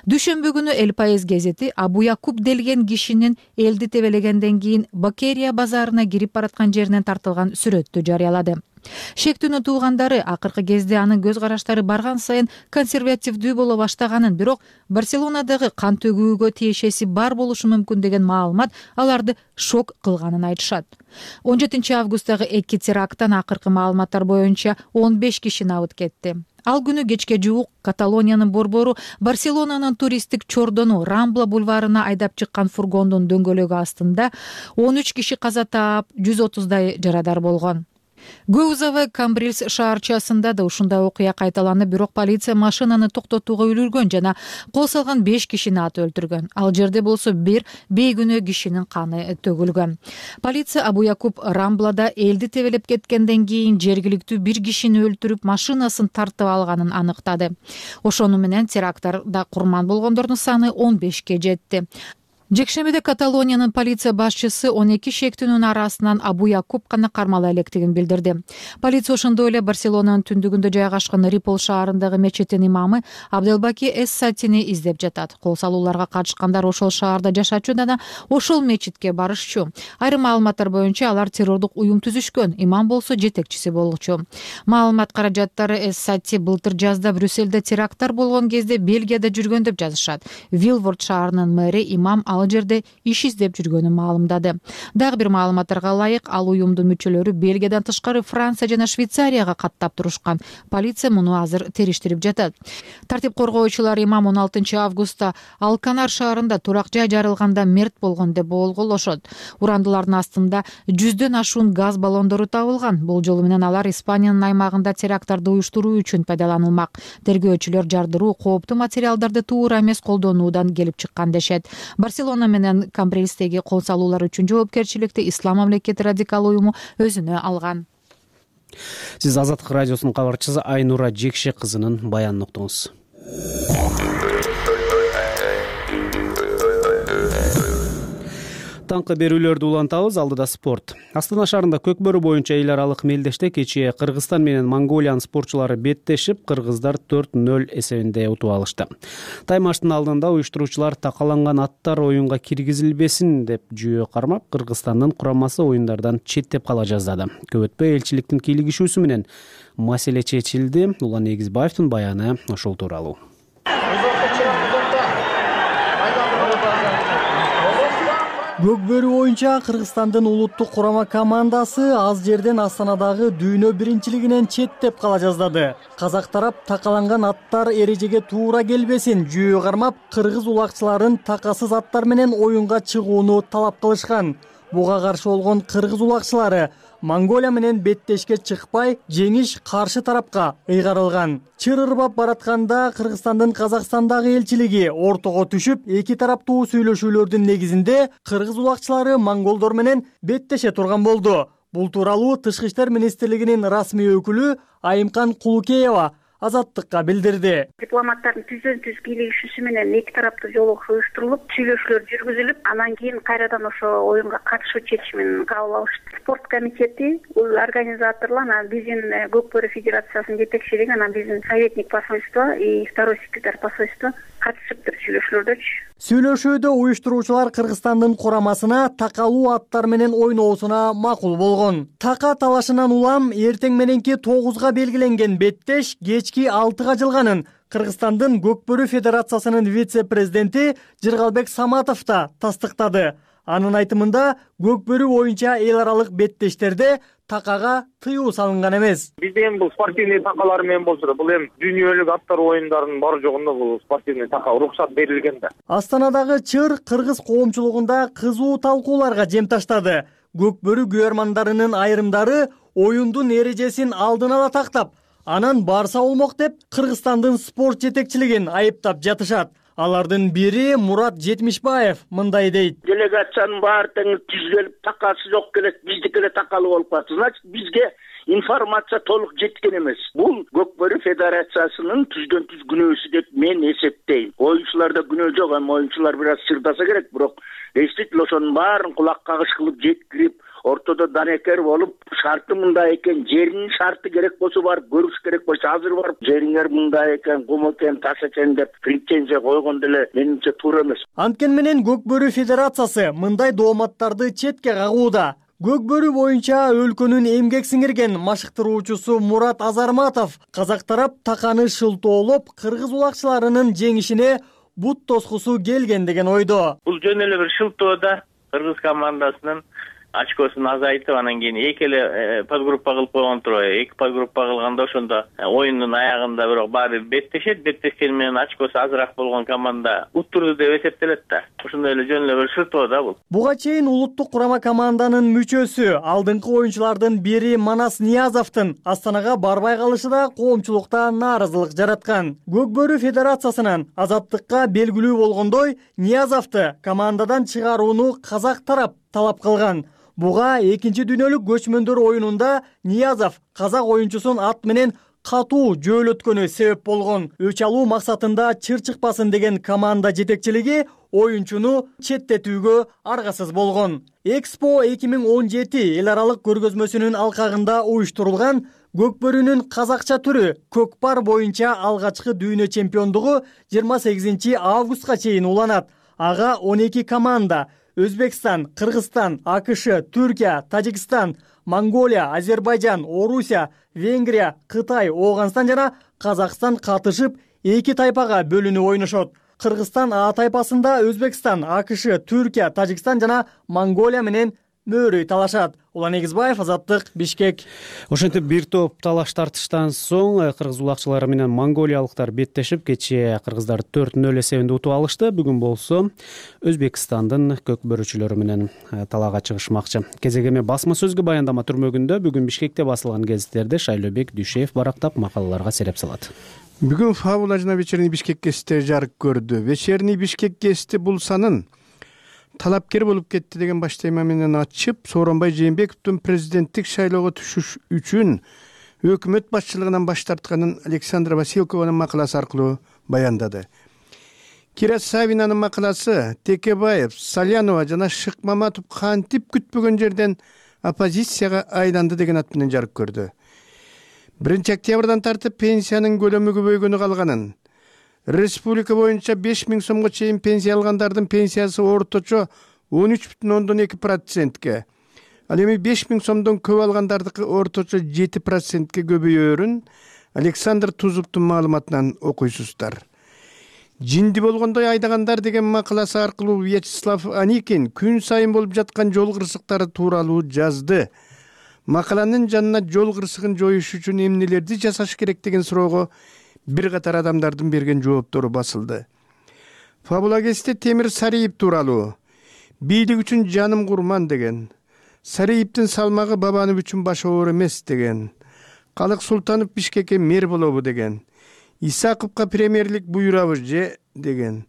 Дүшөмбү күнү Эл Паис гезити Абуякуб делген кишинин элди тебелегенден кийин Бакерия базарына кирип бараткан жеринен тартылган сүрөттү жарыялады. Шектүүнүн туугандары акыркы кезде анын көз караштары барган сайын консервативдүү боло баштаганын, бирок Барселонадагы кан төгүүгө тиешеси бар болушу мүмкүн деген маалымат аларды шок кылганын айтышат. он жетинчи августтагы эки теракттан акыркы маалыматтар боюнча он беш киши набыт кетти. Ал күнү кечке жуук Каталониянын борбору Барселонанын туристтик чордону Рамбла бульварына айдап чыккан фургондун дөңгөлөгү астында он үч киши каза таап, жүз отуздай жарадар болгон. Гөузова Камбрильс шаарчасында да ушундай окуя кайталанып, бирок полиция машинаны токтотууга үлгүргөн жана кол салган беш кишини атып өлтүргөн. Ал жерде болсо бир бейгүнөө кишинин каны төгүлгөн. Полиция Абу Якуб Рамблада элди тебелеп кеткенден кийин жергиликтүү бир кишини өлтүрүп, машинасын тартып алганын аныктады. Ошону менен терактарда курман болгондордун саны он бешке жетти. Жекшембиде Каталониянын полиция башчысы он эки шектүүнүн арасынан Абу Якуб гана кармала электигин билдирди. Полиция ошондой эле Барселонанын түндүгүндө жайгашкан Рипол шаарындагы мечиттин имамы Абделбаки Эс-Сатини издеп жатат. Кол салууларга катышкандар ошол шаарда жашачу жана ошол мечитке барышчу. Айрым маалыматтар боюнча алар террордук уюм түзүшкөн, имам болсо жетекчиси болчу. Маалымат каражаттары Эс-Сати былтыр жазда Брюссельде теракттар болгон кезде Бельгияда жүргөн деп жазышат. Вилворд шаарынын мэри имам ал жерде иш издеп жүргөнүн маалымдады. Дагы бир маалыматтарга ылайык, ал уюмдун мүчөлөрү Бельгиядан тышкары Франция жана Швейцарияга каттап турушкан. Полиция муну азыр териштирип жатат. Тартип коргоочулар имам он алтынчы августта Алканар шаарында турак жай жарылганда мерт болгон деп болгоолошот. Урандылардын астында жүздөн ашуун газ баллондору табылган. Бул жолу менен алар Испаниянын аймагында теракттарды уюштуруу үчүн пайдаланылмак. Тергөөчүлөр жардыруу кооптуу материалдарды туура эмес колдонуудан келип чыккан дешет. Барселона менен Камбрильстеги кол салуулар үчүн жоопкерчиликти Ислам мамлекети радикал уюму өзүнө алган. Сиз Азаттык радиосунун кабарчысы Айнура Жекше кызынын баянын уктуңуз. Таңкы берүүлөрдү улантабыз, алдыда спорт. Астана шаарында көкбөрү боюнча эл аралык мелдеште кечээ Кыргызстан менен Монголиянын спортчулары беттешип, кыргыздар төрт нөл эсебинде утуп алышты. Таймаштын алдында уюштуруучулар такаланган аттар оюнга киргизилбесин деп жүйө кармап, Кыргызстандын курамасы оюндардан четтеп кала жаздады. Көп өтпөй элчиликтин кийлигишүүсү менен маселе чечилди. Улан Эгизбаевдин баяны ошол тууралуу. Көкбөрү боюнча Кыргызстандын улуттук курама командасы аз жерден Астанадагы дүйнө биринчилигинен четтеп кала жаздады. Казак тарап такаланган аттар эрежеге туура келбесин жүйө кармап, кыргыз улакчыларын такасыз аттар менен оюнга чыгууну талап кылышкан. Буга каршы болгон кыргыз улакчылары Монголия менен беттешке чыкпай, жеңиш каршы тарапка ыйгарылган. Чыр ырбап баратканда Кыргызстандын Казакстандагы элчилиги ортого түшүп, эки тараптуу сүйлөшүүлөрдүн негизинде кыргыз улакчылары монголдор менен беттеше турган болду. Бул тууралуу Тышкы иштер министрлигинин расмий өкүлү Айымкан Кулукеева Азаттыкка билдирди. Дипломаттардын түздөн түз кийлигишүүсү менен эки тараптуу жолугуш уюштурулуп, сүйлөшүүлөр жүргүзүлүп, анан кийин кайрадан ошо оюнга катышуу чечимин кабыл алышты. Спорт комитети, бул организаторлор, анан биздин Көкбөрү федерациясынын жетекчилиги, анан биздин советник посольство и второй секретарь посольства катышыптыр сүйлөшүүлөрдөчү. Сүйлөшүүдө уюштуруучулар Кыргызстандын курамасына такалуу аттар менен ойноосуна макул болгон. Така талашынан улам эртең мененки тогузга белгиленген беттеш кечки алтыга жылганын Кыргызстандын Көкбөрү федерациясынын вице-президенти Жыргалбек Саматов да тастыктады. Анын айтымында Көкбөрү боюнча эл аралык беттештерде такага тыюу салынган эмес. Бизде эми бул спортивный такалар менен болсо да, бул эми дүйнөлүк аттар оюндарынын бар жогунда бул спортивный така уруксат берилген да. Астанадагы чыр кыргыз коомчулугунда кызуу талкууларга жем таштады. Көкбөрү күйөрмандарынын айрымдары оюндун эрежесин алдын ала тактап, анан барса болмок деп Кыргызстандын спорт жетекчилигин айыптап жатышат. Алардын бири Мурат Жетимишбаев мындай дейт. Делегациянын баары тең түзүлүп, такасы жок келет, биздики эле такалуу болуп калат. Значит, бизге информация толук жеткен эмес. Бул Көкбөрү федерациясынын түздөн түз күнөөсү деп мен эсептейм. Оюнчуларда күнөө жок, эми оюнчулар бир аз чырдаса керек, бирок действительно ошонун баарын кулак кагыш кылып жеткирип, ортодо данекер болуп, шарты мындай экен, жеринин шарты керек болсо барып көрүш керек болсо азыр барып жериңер мындай экен, кум экен, таш экен деп претензия койгон деле менимче туура эмес. Анткени менен Көкбөрү федерациясы мындай дооматтарды четке кагууда. Көкбөрү боюнча өлкөнүн эмгек сиңирген машыктыруучусу Мурат Азарматов казак тарап таканы шылтоолоп, кыргыз улакчыларынын жеңишине бут тоскусу келген деген ойдо. Бул жөн эле бир шылтоо да кыргыз командасынын очкосун азайтып анан кийин эки эле подгруппа кылып койгон турбайбы. Эки подгруппа кылганда ошондо оюндун аягында бирок баары беттешет. Беттешкени менен очкосу азыраак болгон команда уттурду деп эсептелет да. Ошондой эле жөн эле бир шыртоо да бул. Буга чейин улуттук курама команданын мүчөсү, алдыңкы оюнчулардын бири Манас Ниязовдун Астанага барбай калышы да коомчулукта нааразылык жараткан. Көкбөрү федерациясынан азаттыкка белгилүү болгондой, Ниязовду командадан чыгарууну казак тарап талап кылган. Буга экинчи дүйнөлүк көчмөндөр оюнунда Ниязов казак оюнчусун ат менен катуу жөөлөткөнү себеп болгон. Өч алуу максатында чыр чыкпасын деген команда жетекчилиги оюнчуну четтетүүгө аргасыз болгон. Экспо эки миң он жети эл аралык көргөзмөсүнүн алкагында уюштурулган Көкбөрүнүн казакча түрү көкпар боюнча алгачкы дүйнө чемпиондугу жыйырма сегизинчи августка чейин уланат. Ага он эки команда Өзбекстан, Кыргызстан, АКШ, Түркия, Тажикстан, Монголия, Азербайжан, Орусия, Венгрия, Кытай, Ооганстан жана Казакстан катышып, эки тайпага бөлүнүп ойношот. Кыргызстан А тайпасында Өзбекстан, АКШ, Түркия, Тажикстан жана Монголия менен мөөрөй талашат. Улан Эгизбаев, Азаттык, Бишкек. Ошентип бир топ талаш тартыштан соң кыргыз улакчылары менен монголиялыктар беттешип, кечээ кыргыздар төрт нөл эсебинде утуп алышты. Бүгүн болсо Өзбекстандын көкбөрүчүлөрү менен талаага чыгышмакчы. Кезек эме басма сөзгө баяндама түрмөгүндө бүгүн Бишкекте басылган гезиттерди Шайлообек Дүйшеев барактап макалаларга сереп салат. Бүгүн Фабула жана Вечерний Бишкек гезити жарык көрдү. Вечерний Бишкек гезити бул санын талапкер болуп кетти деген баш тема менен ачып, Сооронбай Жээнбековдун президенттик шайлоого түшүш үчүн өкмөт башчылыгынан баш тартканын Александра Василкованын макаласы аркылуу баяндады. Кира Савинанын макаласы Текебаев, Салянова жана Шыкмаматов кантип күтпөгөн жерден оппозицияга айланды деген ат менен жарык көрдү. биринчи октябрдан тартып пенсиянын көлөмү көбөйгөнү калганын, республика боюнча беш миң сомго чейин пенсия алгандардын пенсиясы орточо он үч бүтүн ондон эки процентке, ал эми беш миң сомдон көп алгандардыкы орточо жети процентке көбөйөөрүн Александр Тузовдун маалыматынан окуйсуздар. Жинди болгондой айдагандар деген макаласы аркылуу Вячеслав Аникин күн сайын болуп жаткан жол кырсыктары тууралуу жазды. Макаланын жанына жол кырсыгын жоюш үчүн эмнелерди жасаш керек деген суроого бир катар адамдардын берген жооптору басылды. Фабула гезити Темир Сариев тууралуу бийлик үчүн жаным курман деген, Сариевдин салмагы Бабанов үчүн баш оор эмес деген, Калык Султанов Бишкекке мэр болобу деген, Исаковго премьерлик буйрабы же деген,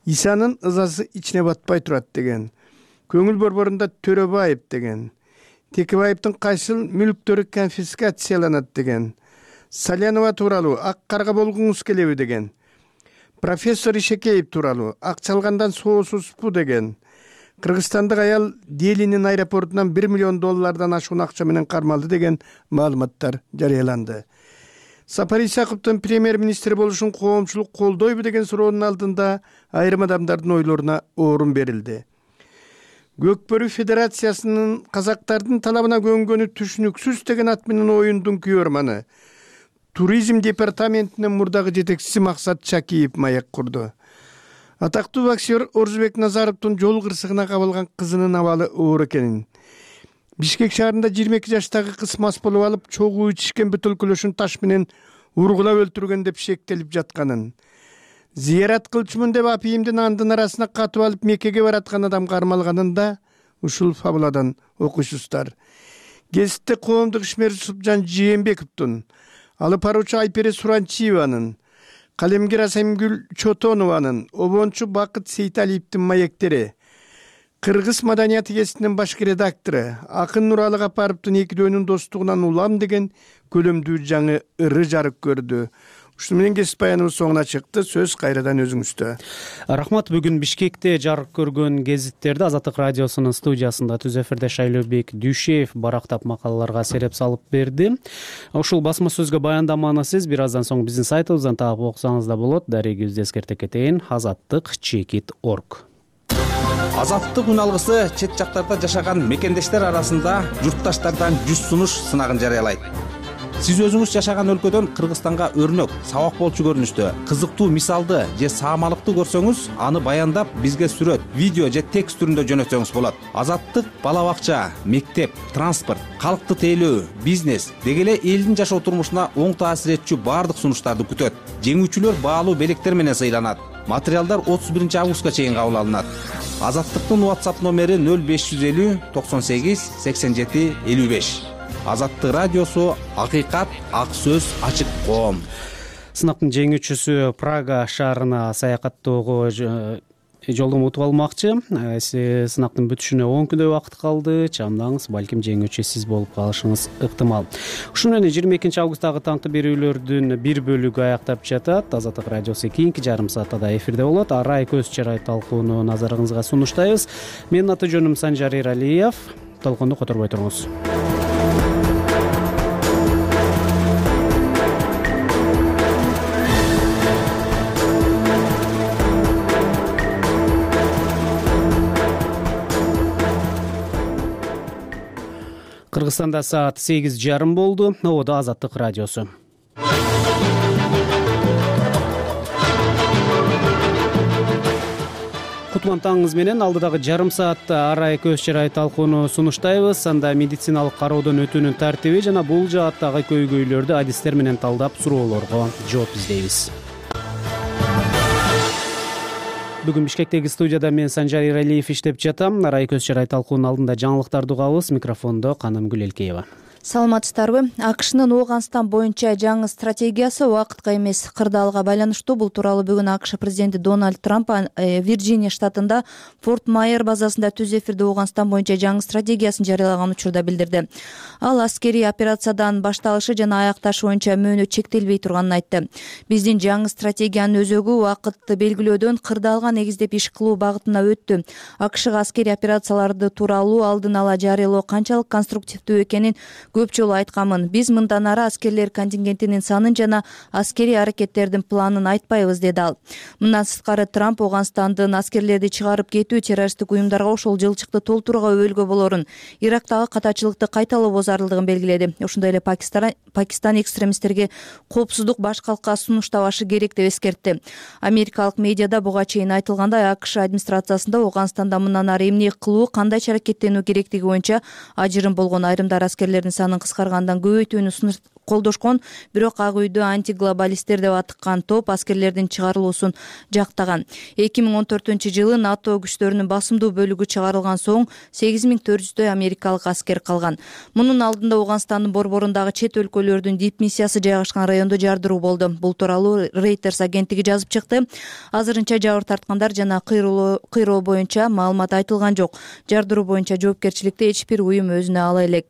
Исанын ызасы ичине батпай турат деген, көңүл борборунда Төрөбаев деген, Текебаевдин кайсыл мүлктөрү конфискацияланат деген, Салянова тууралуу ак карга болгуңуз келеби деген, профессор Ишекеев тууралуу ак чалгандан соосузбу деген, Кыргызстандык аял Делинин аэропортунан бир миллион доллардан ашуун акча менен кармалды деген маалыматтар жарыяланды. Сапар Исаковдун премьер-министр болушун коомчулук колдойбу деген суроонун алдында айрым адамдардын ойлоруна орун берилди. Көкбөрү федерациясынын казактардын талабына көнгөнү түшүнүксүз деген ат менен оюндун күйөрманы туризм департаментинин мурдагы жетекчиси Максат Чакиев маек курду. Атактуу боксер Орзубек Назаровдун жол кырсыгына кабылган кызынын абалы оор экенин, Бишкек шаарында жыйырма эки жаштагы кыз мас болуп алып чогуу ичишкен бөтөлкөлөшүн таш менен ургулап өлтүргөн деп шектелип жатканын, зыярат кылчумун деп апийимдин андын арасына катып алып Меккеге бараткан адам кармалганын да ушул фабуладан окуйсуздар. Гезитте коомдук ишмер Субжан Жээнбековдун, алып баруучу Айпере Суранчиеванын, калемгер Асемгүл Чотонованын, обончу Бакыт Сейталиевдин маектери, Кыргыз маданияты гезитинин башкы редактору Акын Нуралы Капаровдун экидөөнүн достугунан улам деген көлөмдүү жаңы ыры жарык көрдү. Ушуну менен гезит баяныбыз соңуна чыкты. Сөз кайрадан өзүңүздө. Рахмат. Бүгүн Бишкекте жарык көргөн гезиттерди Азаттык радиосунун студиясында түз эфирде Шайлообек Дүйшеев барактап макалаларга сереп салып берди. Ушул басма сөзгө баяндаманы сиз бир аздан соң биздин сайтыбыздан таап окусаңыз да болот. Дарегибизди эскерте кетейин: азаттык чекит точка орг. Азаттык үн алгысы чет жактарда жашаган мекендештер арасында журтташтардан жүз сунуш сынагын жарыялайт. сиз өзүңүз жашаган өлкөдөн Кыргызстанга өрнөк, сабак болчу көрүнүштө кызыктуу мисалды же саамалыкты көрсөңүз, аны баяндап бизге сүрөт, видео же текст түрүндө жөнөтсөңүз болот. Азаттык бала бакча, мектеп, транспорт, калкты тейлөө, бизнес деги эле элдин жашоо турмушуна оң таасир этчү баардык сунуштарды күтөт. Жеңүүчүлөр баалуу белектер менен сыйланат. Материалдар отуз биринчи августка чейин кабыл алынат. Азаттыктын WhatsApp номери нөл беш жүз элүү токсон сегиз сексен жети элүү беш. Азаттык радиосу, акыйкат, ак сөз, ачык коом. Сынактын жеңүүчүсү Прага шаарына саякаттоого жолдомо утуп алмакчы. Сынактын бүтүшүнө он күндөй убакыт калды. Чамдаңыз, балким жеңүүчү сиз болуп калышыңыз ыктымал. Ушуну менен жыйырма экинчи августтагы таңкы берүүлөрдүн бир бөлүгү аяктап жатат. Азаттык радиосу кийинки жарым саатта да эфирде болот. Арай көз чарай талкууну назарыңызга сунуштайбыз. Менин аты жөнүм Санжар Эралиев. Толконду которбой туруңуз. Кыргызстанда саат сегиз жарым болду. Ободо Азаттык радиосу. Кутман таңыңыз менен алдыдагы жарым саатта арай көз чарай талкууну сунуштайбыз. Анда медициналык кароодон өтүүнүн тартиби жана бул жааттагы көйгөйлөрдү адистер менен талдап суроолорго жооп издейбиз. Бүгүн Бишкектеги студияда мен Санжар Эралиев иштеп жатам. Арай көз чарай талкуунун алдында жаңылыктарды угабыз. Микрофондо Канымгүл Элкеева. Саламатсыздарбы? АКШнын Ооганстан боюнча жаңы стратегиясы убакытка эмес, кырдаалга байланыштуу. Бул тууралуу бүгүн АКШ президенти Дональд Трамп Вирджиния штатында Форт Майер базасында түз эфирде Ооганстан боюнча жаңы стратегиясын жарыялаган учурда билдирди. Ал аскерий операциядан башталышы жана аякташы боюнча мөөнөт чектелбей турганын айтты. Биздин жаңы стратегиянын өзөгү убакытты белгилөөдөн кырдаалга негиздеп иш кылуу багытына өттү. АКШга аскерий операцияларды тууралуу алдын ала жарыялоо канчалык конструктивдүү экенин көп жолу айтканмын. Биз мындан ары аскерлер контингентинин санын жана аскерий аракеттердин планын айтпайбыз, деди ал. Мындан сырткары Трамп Ооганстандын аскерлерди чыгарып кетүү террористтик уюмдарга ошол жылчыкты толтурууга өбөлгө болорун, Ирактагы катачылыкты кайталоо зарылдыгын белгиледи. Ошондой эле Пакистан Пакистан экстремисттерге коопсуздук баш калкка сунуштабашы керек деп эскертти. Америкалык медиада буга чейин айтылгандай, АКШ администрациясында Ооганстанда мындан ары эмне кылуу, кандайча аракеттенүү керектиги боюнча ажырым болгон. Айрымдар аскерлердин санын кыскаргандан көбөйтүүнү колдошкон, бирок Ак үйдү антиглобалисттер деп атыккан топ аскерлердин чыгарылуусун жактаган. эки миң он төртүнчү жылы НАТО күчтөрүнүн басымдуу бөлүгү чыгарылган соң сегиз миң төрт жүздөй америкалык аскер калган. Мунун алдында Ооганстандын борборундагы чет өлкөлөрдүн дипмиссиясы жайгашкан райондо жардыруу болду. Бул тууралуу Reuters агенттиги жазып чыкты. Азырынча жабыр тарткандар жана кыйроо боюнча маалымат айтылган жок. Жардыруу боюнча жоопкерчиликти эч бир уюм өзүнө ала элек.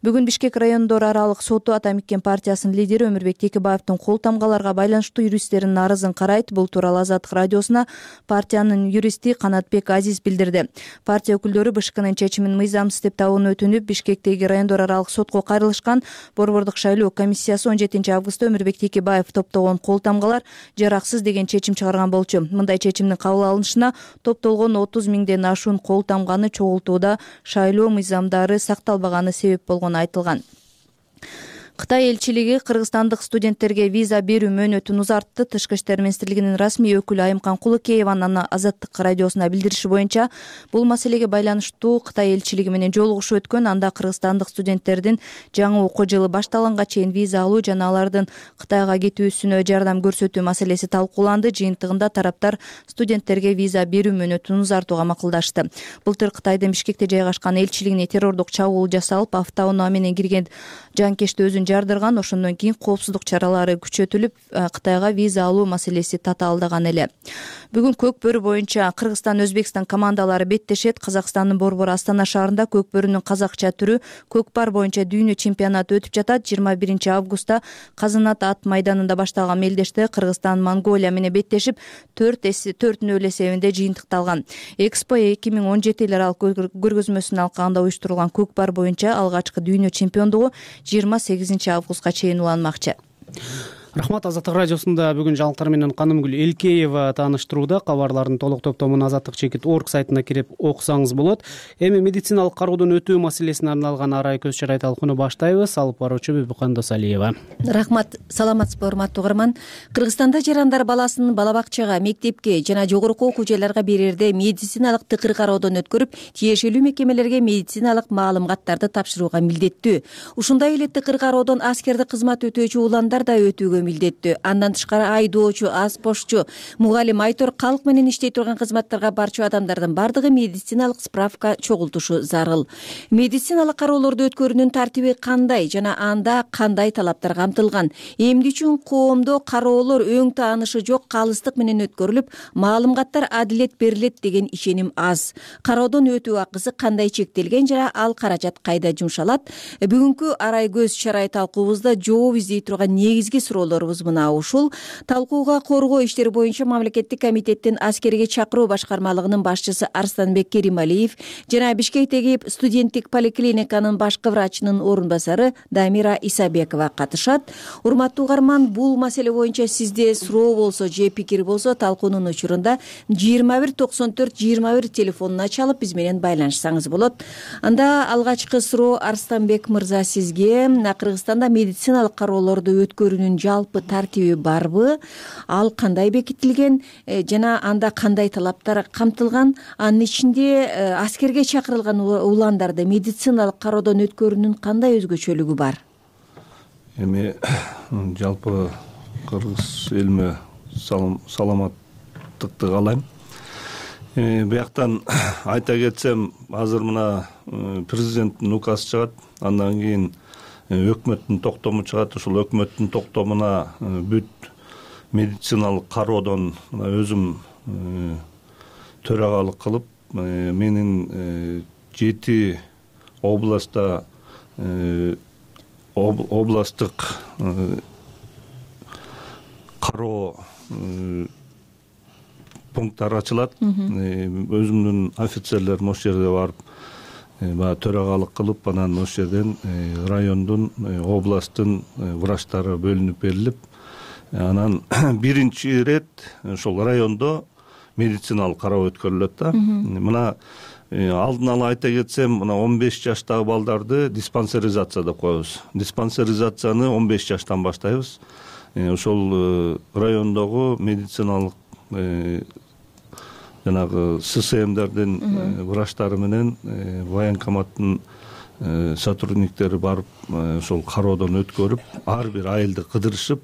Бүгүн Бишкек райондор аралык соту Атамекен партиясынын лидери Өмүрбек Текебаевдин кол тамгаларга байланыштуу юристтеринин арызын карайт. Бул тууралуу Азаттык радиосуна партиянын юристи Канатбек Азиз билдирди. Партия өкүлдөрү БШКнын чечимин мыйзамсыз деп табууну өтүнүп, Бишкектеги райондор аралык сотко кайрылышкан. Борбордук шайлоо комиссиясы он жетинчи августта Өмүрбек Текебаев топтогон кол тамгалар жараксыз деген чечим чыгарган болчу. Мындай чечимдин кабыл алынышына топтолгон отуз миңден ашуун кол тамганы чогултууда шайлоо мыйзамдары сакталбаганы себеп болгону айтылган. Кытай элчилиги кыргызстандык студенттерге виза берүү мөөнөтүн узартты. Тышкы иштер министрлигинин расмий өкүлү Айымкан Кулыкееванын Азаттык радиосуна билдириши боюнча, бул маселеге байланыштуу Кытай элчилиги менен жолугушуу өткөн. Анда кыргызстандык студенттердин жаңы окуу жылы башталганга чейин виза алуу жана алардын Кытайга кетүүсүнө жардам көрсөтүү маселеси талкууланды. Жыйынтыгында тараптар студенттерге виза берүү мөөнөтүн узартууга макулдашты. Былтыр Кытайдын Бишкекте жайгашкан элчилигине террордук чабуул жасалып, автоунаа менен кирген жанкечти өзүн жардырган. Ошондон кийин коопсуздук чаралары күчөтүлүп, Кытайга виза алуу маселеси татаалдаган эле. Бүгүн көк бөрү боюнча Кыргызстан Өзбекстан командалары беттешет. Казакстандын борбору Астана шаарында көк бөрүнүн казакча түрү көкпар боюнча дүйнө чемпионаты өтүп жатат. жыйырма биринчи августта Казанат ат майданында башталган мелдеште Кыргызстан Монголия менен беттешип, төрт нөл эсебинде жыйынтыкталган. Экспо эки миң он жети эл аралык көргөзмөсүнүн алкагында уюштурулган көкпар боюнча алгачкы дүйнө чемпиондугу жыйырма сегизинчи августка чейин уланмакчы. рахмат. Азаттык радиосунда бүгүн жаңылыктар менен Канымгүл Элкеева тааныштырууда. Кабарлардын толук топтомун азаттык чекит орг сайтына кирип окусаңыз болот. Эми медициналык кароодон өтүү маселесине арналган арай көз чарай талкууну баштайбыз. Алып баруучу Бүбүкан Досалиева. Рахмат. Саламатсызбы, урматтуу угарман. Кыргызстанда жарандар баласын бала бакчага, мектепке жана жогорку окуу жайларга берерде медициналык тыкыр кароодон өткөрүп, тиешелүү мекемелерге медициналык маалыматтарды тапшырууга милдеттүү. Ушундай эле тыкыр кароодон аскердик кызмат өтөөчү уландар да өтүүгө милдеттүү. Андан тышкары айдоочу, аспошчу, мугалим, айтор, калк менен иштей турган кызматтарга барчу адамдардын бардыгы медициналык справка чогултушу зарыл. Медициналык кароолорду өткөрүүнүн тартиби кандай жана анда кандай талаптар камтылган? Эмне үчүн коомдо кароолор өң таанышы жок калыстык менен өткөрүлүп, маалыматтар адилет берилет деген ишеним аз. Кароодон өтүү акысы кандай чектелген жана ал каражат кайда жумшалат? Бүгүнкү арай көз чарай талкуубузда жооп издей турган негизги суроолорубуз мына ушул. Талкууга коргоо иштери боюнча мамлекеттик комитеттин аскерге чакыруу башкармалыгынын башчысы Арстанбек Керималиев жана Бишкектеги студенттик поликлиниканын башкы врачынын орун басары Дамира Исабекова катышат. Урматтуу угарман, бул маселе боюнча сизде суроо болсо же пикир болсо талкуунун учурунда жыйырма бир токсон төрт жыйырма бир телефонуна чалып биз менен байланышсаңыз болот. Анда алгачкы суроо Арстанбек мырза сизге. Кыргызстанда медициналык кароолорду өткөрүүнүн жалпы тартиби барбы? Ал кандай бекитилген жана анда кандай талаптар камтылган? Анын ичинде аскерге чакырылган уландарды медициналык кароодон өткөрүүнүн кандай өзгөчөлүгү бар? Эми жалпы кыргыз элиме саламаттыкты каалайм. Бияктан айта кетсем, азыр мына президенттин указы чыгат, андан кийин өкмөттүн токтому чыгат. Ушул өкмөттүн токтомуна бүт медициналык кароодон өзүм төрагалык кылып, менин жети областта областтык кароо пункттар ачылат. Өзүмдүн офицерлерим ошол жерде барып баягы төрагалык кылып, анан ошол жерден райондун, областтын врачтары бөлүнүп берилип, анан биринчи ирет ошол райондо медициналык кароо өткөрүлөт да. Мына алдын ала айта кетсем, мына он беш жаштагы балдарды диспансеризация деп коебуз. Диспансеризацияны он беш жаштан баштайбыз. Ошол райондогу медициналык жанагы ССМдердин врачтары менен военкоматтын сотрудниктери барып ошол кароодон өткөрүп, ар бир айылды кыдырышып,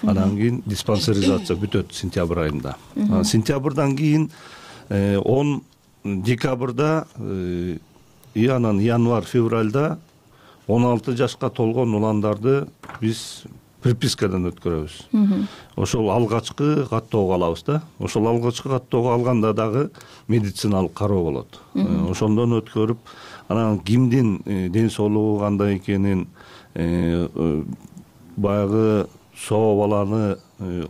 анан кийин диспансеризация бүтөт сентябрь айында. Сентябрдан кийин он декабрда и анан январь февралда он алты жашка толгон уландарды биз припискадан өткөрөбүз. Ошол алгачкы каттоого алабыз да. Ошол алгачкы каттоого алганда дагы медициналык кароо болот. Ошондон өткөрүп, анан кимдин ден соолугу кандай экенин, баягы соо баланы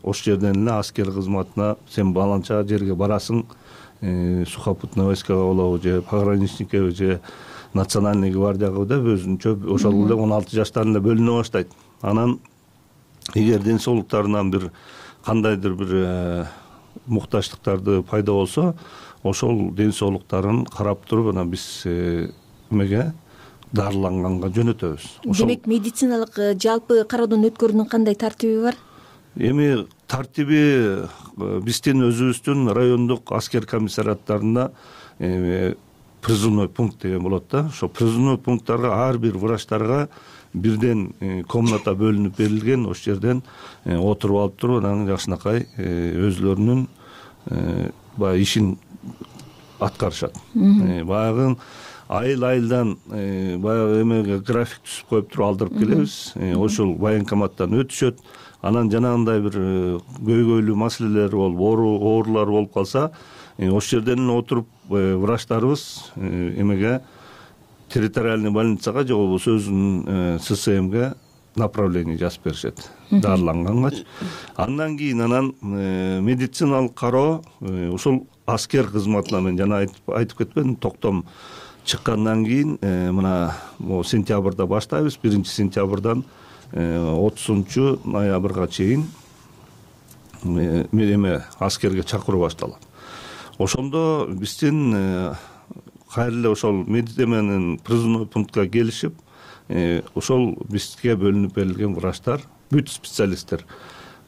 ошол жерден эле аскер кызматына сен баланча жерге барасың, сухопутный войскага болобу же пограничникке же национальный гвардияга деп өзүнчө ошол эле он алты жаштан эле бөлүнө баштайт. Анан эгер ден соолуктарынан бир кандайдыр бир муктаждыктарды пайда болсо, ошол ден соолуктарын карап туруп, анан биз эмеге дарыланганга жөнөтөбүз. Демек, медициналык жалпы кароодон өткөрүүнүн кандай тартиби бар? Эми тартиби биздин өзүбүздүн райондук аскер комиссариаттарында призывной пункт деген болот да. Ошо призывной пункттарга ар бир врачтарга бирден комната бөлүнүп берилген. Ошол жерден отуруп алып туруп, анан жакшынакай өзүлөрүнүн баягы ишин аткарышат. Баягы айыл айылдан баягы эмеге график түзүп коюп туруп алдырып келебиз. Ошол военкоматтан өтүшөт. Анан жанагындай бир көйгөйлүү маселелер болуп, оорулар болуп калса, ошол жерден отуруп врачтарыбыз эмеге территориальный больницага же болбосо өзүнүн ССМге направление жазып беришет дарылангангачы. Андан кийин анан медициналык кароо ушул аскер кызматына, мен жана айтып кетпедим, токтом чыккандан кийин мына могу сентябрда баштайбыз. Биринчи сентябрдан отузунчу ноябрга чейин эме аскерге чакыруу башталат. Ошондо биздин кайра эле ошол медицименин призывной пунктка келишип, ошол бизге бөлүнүп берилген врачтар, бүт специалисттер,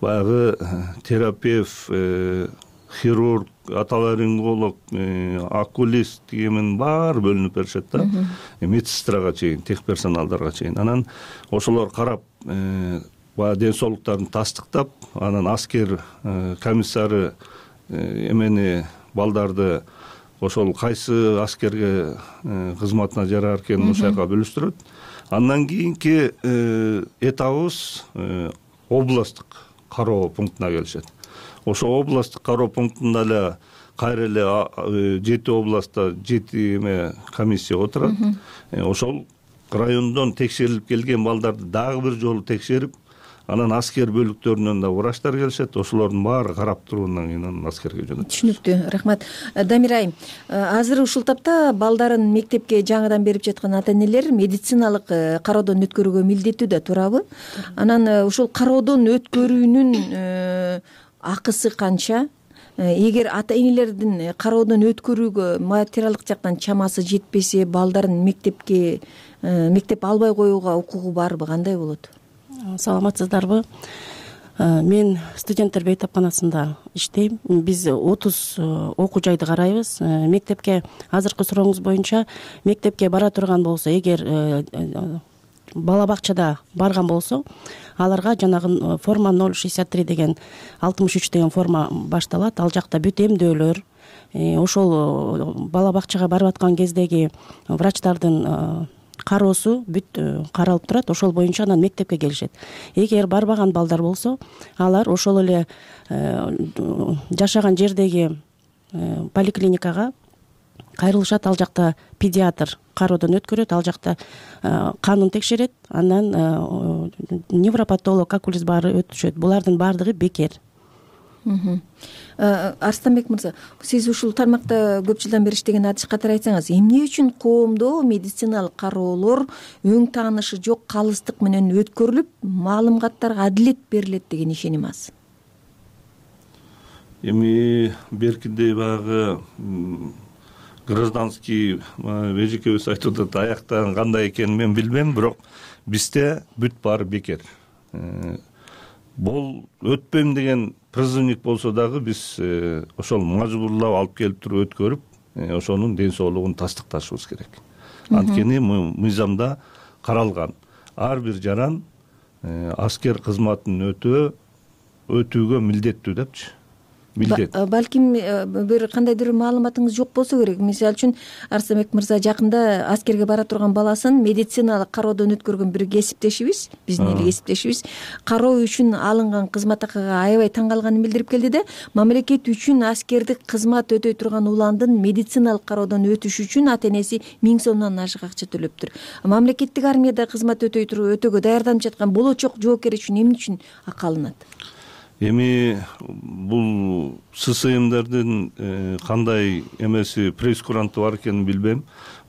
баягы терапевт, хирург, отоларинголог, окулист дегенин баары бөлүнүп беришет да, медсестрага чейин, техперсоналдарга чейин. Анан ошолор карап, баягы ден соолуктарын тастыктап, анан аскер комиссары эмени балдарды ошол кайсы аскерге кызматына жарар экенин ошол жака бөлүштүрөт. Андан кийинки этабыбыз областтык кароо пунктуна келишет. Ошо областтык кароо пунктунда эле кайра эле жети областта жети эме комиссия отурат. Ошол райондон текшерилип келген балдарды дагы бир жолу текшерип, анан аскер бөлүктөрүнөн да врачтар келишет. Ошолордун баары карап тургандан кийин анан аскерге жөнөтүлөт. Түшүнүктүү, рахмат. Дамир айым, азыр ушул тапта балдарын мектепке жаңыдан берип жаткан ата энелер медициналык кароодон өткөрүүгө милдеттүү да, туурабы? Анан ушул кароодон өткөрүүнүн акысы канча? Эгер ата энелердин кароодон өткөрүүгө материалдык жактан чамасы жетпесе, балдарын мектепке мектеп албай коюуга укугу барбы, кандай болот? Саламатсыздарбы? Мен студенттер бейтапканасында иштейм. Биз отуз окуу жайды карайбыз. Мектепке, азыркы сурооңуз боюнча, мектепке бара турган болсо, эгер бала бакчада барган болсо, аларга жанагы форма ноль шестьдесят три деген алтымыш үч деген форма башталат. Ал жакта бүт эмдөөлөр, ошол бала бакчага барып аткан кездеги врачтардын кароосу бүт каралып турат. Ошол боюнча анан мектепке келишет. Эгер барбаган балдар болсо, алар ошол эле жашаган жердеги поликлиникага кайрылышат. Ал жакта педиатр кароодон өткөрөт, ал жакта канын текшерет, анан невропатолог, окулист баары өтүшөт. Булардын баардыгы бекер. Арстанбек мырза, сиз ушул тармакта көп жылдан бери иштеген адиш катары айтсаңыз, эмне үчүн коомдо медициналык кароолор өң таанышы жок калыстык менен өткөрүлүп, маалыматтарга адилет берилет деген ишеним аз? Эми беркинде баягы гражданский эжекебиз айтып атат, аяктан кандай экенин мен билбейм, бирок бизде бүт баары бекер. Бул өтпөйм деген призывник болсо дагы биз ошол мажбурлап алып келип туруп өткөрүп, ошонун ден соолугун тастыкташыбыз керек. Анткени мыйзамда каралган ар бир жаран аскер кызматын өтөө өтүүгө милдеттүү депчи. Балким бир кандайдыр маалыматыңыз жок болсо керек. Мисалы үчүн Арстанбек мырза жакында аскерге бара турган баласын медициналык кароодон өткөргөн бир кесиптешибиз, биздин эл кесиптешибиз, кароо үчүн алынган кызмат акыга аябай таң калганын билдирип келди да, мамлекет үчүн аскердик кызмат өтөй турган уландын медициналык кароодон өтүшү үчүн ата энеси миң сомдон ашык акча төлөптүр. Мамлекеттик армияда кызмат өтөй туруп өтөөгө даярданып жаткан болочок жоокер үчүн эмне үчүн акы алынат? Эми бул ССМдердин кандай эмеси пресс-куранты бар экенин билбейм,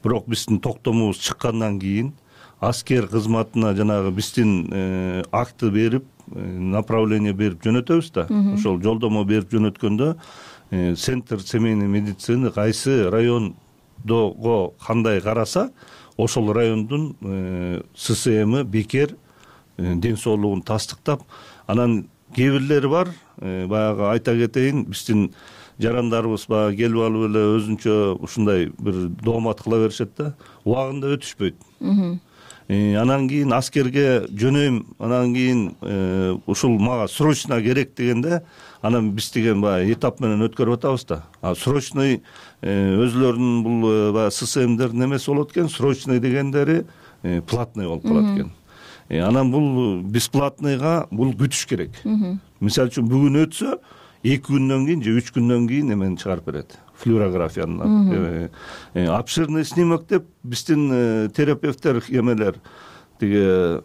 бирок биздин токтомубуз чыккандан кийин аскер кызматына жанагы биздин акты берип, направление берип жөнөтөбүз да. Ошол жолдомо берип жөнөткөндө центр семейной медицины кайсы райондого кандай караса, ошол райондун ССМи бекер ден соолугун тастыктап, анан кээ бирлери бар, баягы айта кетейин, биздин жарандарыбыз баягы келип алып эле өзүнчө ушундай бир доомат кыла беришет да, убагында өтүшпөйт. Анан кийин аскерге жөнөйм, анан кийин ушул мага срочно керек дегенде, анан биз деген баягы этап менен өткөрүп атабыз да. А срочный өзүлөрүнүн бул баягы ССМдердин эмеси болот экен, срочный дегендери платный болуп калат экен. Анан бул бесплатныйга бул күтүш керек. Мисалы үчүн бүгүн өтсө, эки күндөн кийин же үч күндөн кийин эмени чыгарып берет. Флюорографияны. Обширный снимок деп биздин терапевттер эмелер тиги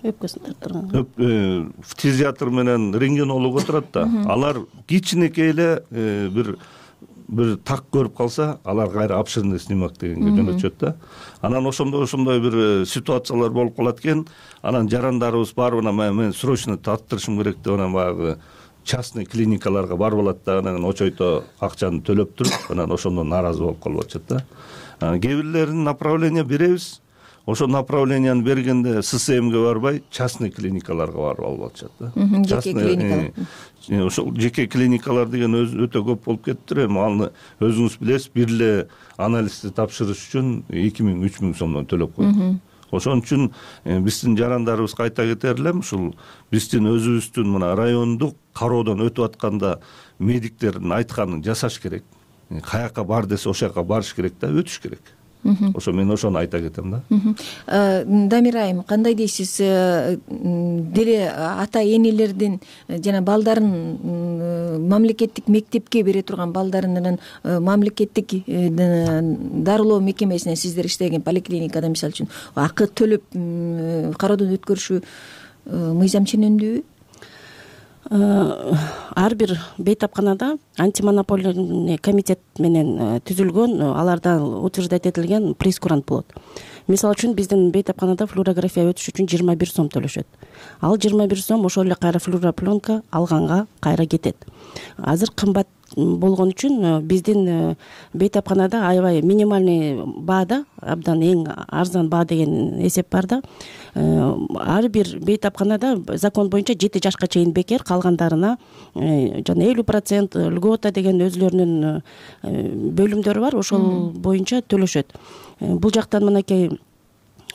өпкөсүн тартырган. Фтизиатр менен рентгенолог отурат да. Алар кичинекей эле бир бир так көрүп калса алар кайра обширный снимок дегенге жөнөтүшөт да. Анан ошондо ошондой бир ситуациялар болуп калат экен. Анан жарандарыбыз барып анан мен срочно таттырышым керек деп анан баягы частный клиникаларга барып алат да, анан очойто акчаны төлөп туруп анан ошондон нааразы болуп калып атышат да. Кээ бирлерин направление беребиз. Ошол направленияны бергенде ССМге барбай частный клиникаларга барып алып атышат да. Жеке клиникалар. Ошол жеке клиникалар деген өтө көп болуп кетиптир. Эми аны өзүңүз билесиз, бир эле анализди тапшырыш үчүн эки миң үч миң сомдон төлөп коет. Ошон үчүн биздин жарандарыбызга айта кетер элем, ушул биздин өзүбүздүн мына райондук кароодон өтүп атканда медиктердин айтканын жасаш керек. Каяка бар десе ошол жака барыш керек да, өтүш керек. Ошо мен ошону айта кетем да. Дамира айым, кандай дейсиз? Деле ата энелердин жана балдарын мамлекеттик мектепке бере турган балдарынын мамлекеттик дарылоо мекемесине сиздер иштеген поликлиникада мисалы үчүн акы төлөп кароодон өткөрүшү мыйзам ченемдүүбү? Ар бир бейтапканада антимонополийный комитет менен түзүлгөн, аларда утверждать этилген прейскурант болот. Мисалы үчүн биздин бейтапканада флюорография өтүш үчүн жыйырма бир сом төлөшөт. Ал жыйырма бир сом ошол эле кайра флюоропленка алганга кайра кетет. Азыр кымбат болгон үчүн биздин бейтапканада аябай минимальный баада, абдан эң арзан баа деген эсеп бар да. Ар бир бейтапканада закон боюнча жети жашка чейин бекер, калгандарына жана элүү процент льгота деген өзүлөрүнүн бөлүмдөрү бар, ошол боюнча төлөшөт. Бул жактан мынакей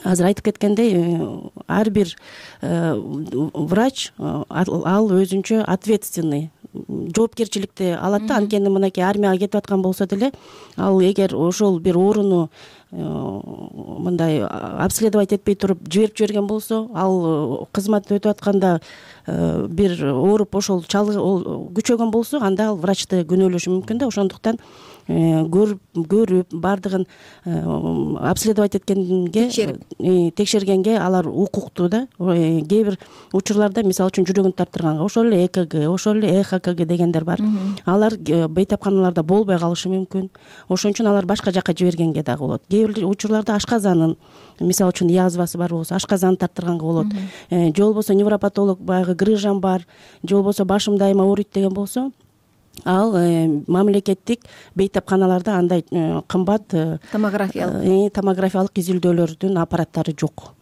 азыр айтып кеткендей, ар бир врач ал өзүнчө ответственный, жоопкерчиликти алат да. Анткени мынакей армияга кетип аткан болсо деле, ал эгер ошол бир ооруну мындай обследовать этпей туруп жиберип жиберген болсо, ал кызмат өтүп атканда бир ооруп ошол күчөгөн болсо, анда ал врачты күнөөлөшү мүмкүн да. Ошондуктан көрүп көрүп бардыгын обследовать эткенге, текшергенге алар укуктуу да. Кээ бир учурларда мисалы үчүн жүрөгүн тартырганга ошол эле ЭКГ, ошол эле ЭХКГ дегендер бар. Алар бейтапканаларда болбой калышы мүмкүн. Ошон үчүн алар башка жака жибергенге дагы болот. Кээ бир учурларда ашказанын, мисалы үчүн язвасы бар болсо, ашказанын тарттырганга болот. Же болбосо невропатолог баягы грыжам бар, же болбосо башым дайыма ооруйт деген болсо, ал мамлекеттик бейтапканаларда андай кымбат томографиялык томографиялык изилдөөлөрдүн аппараттары жок.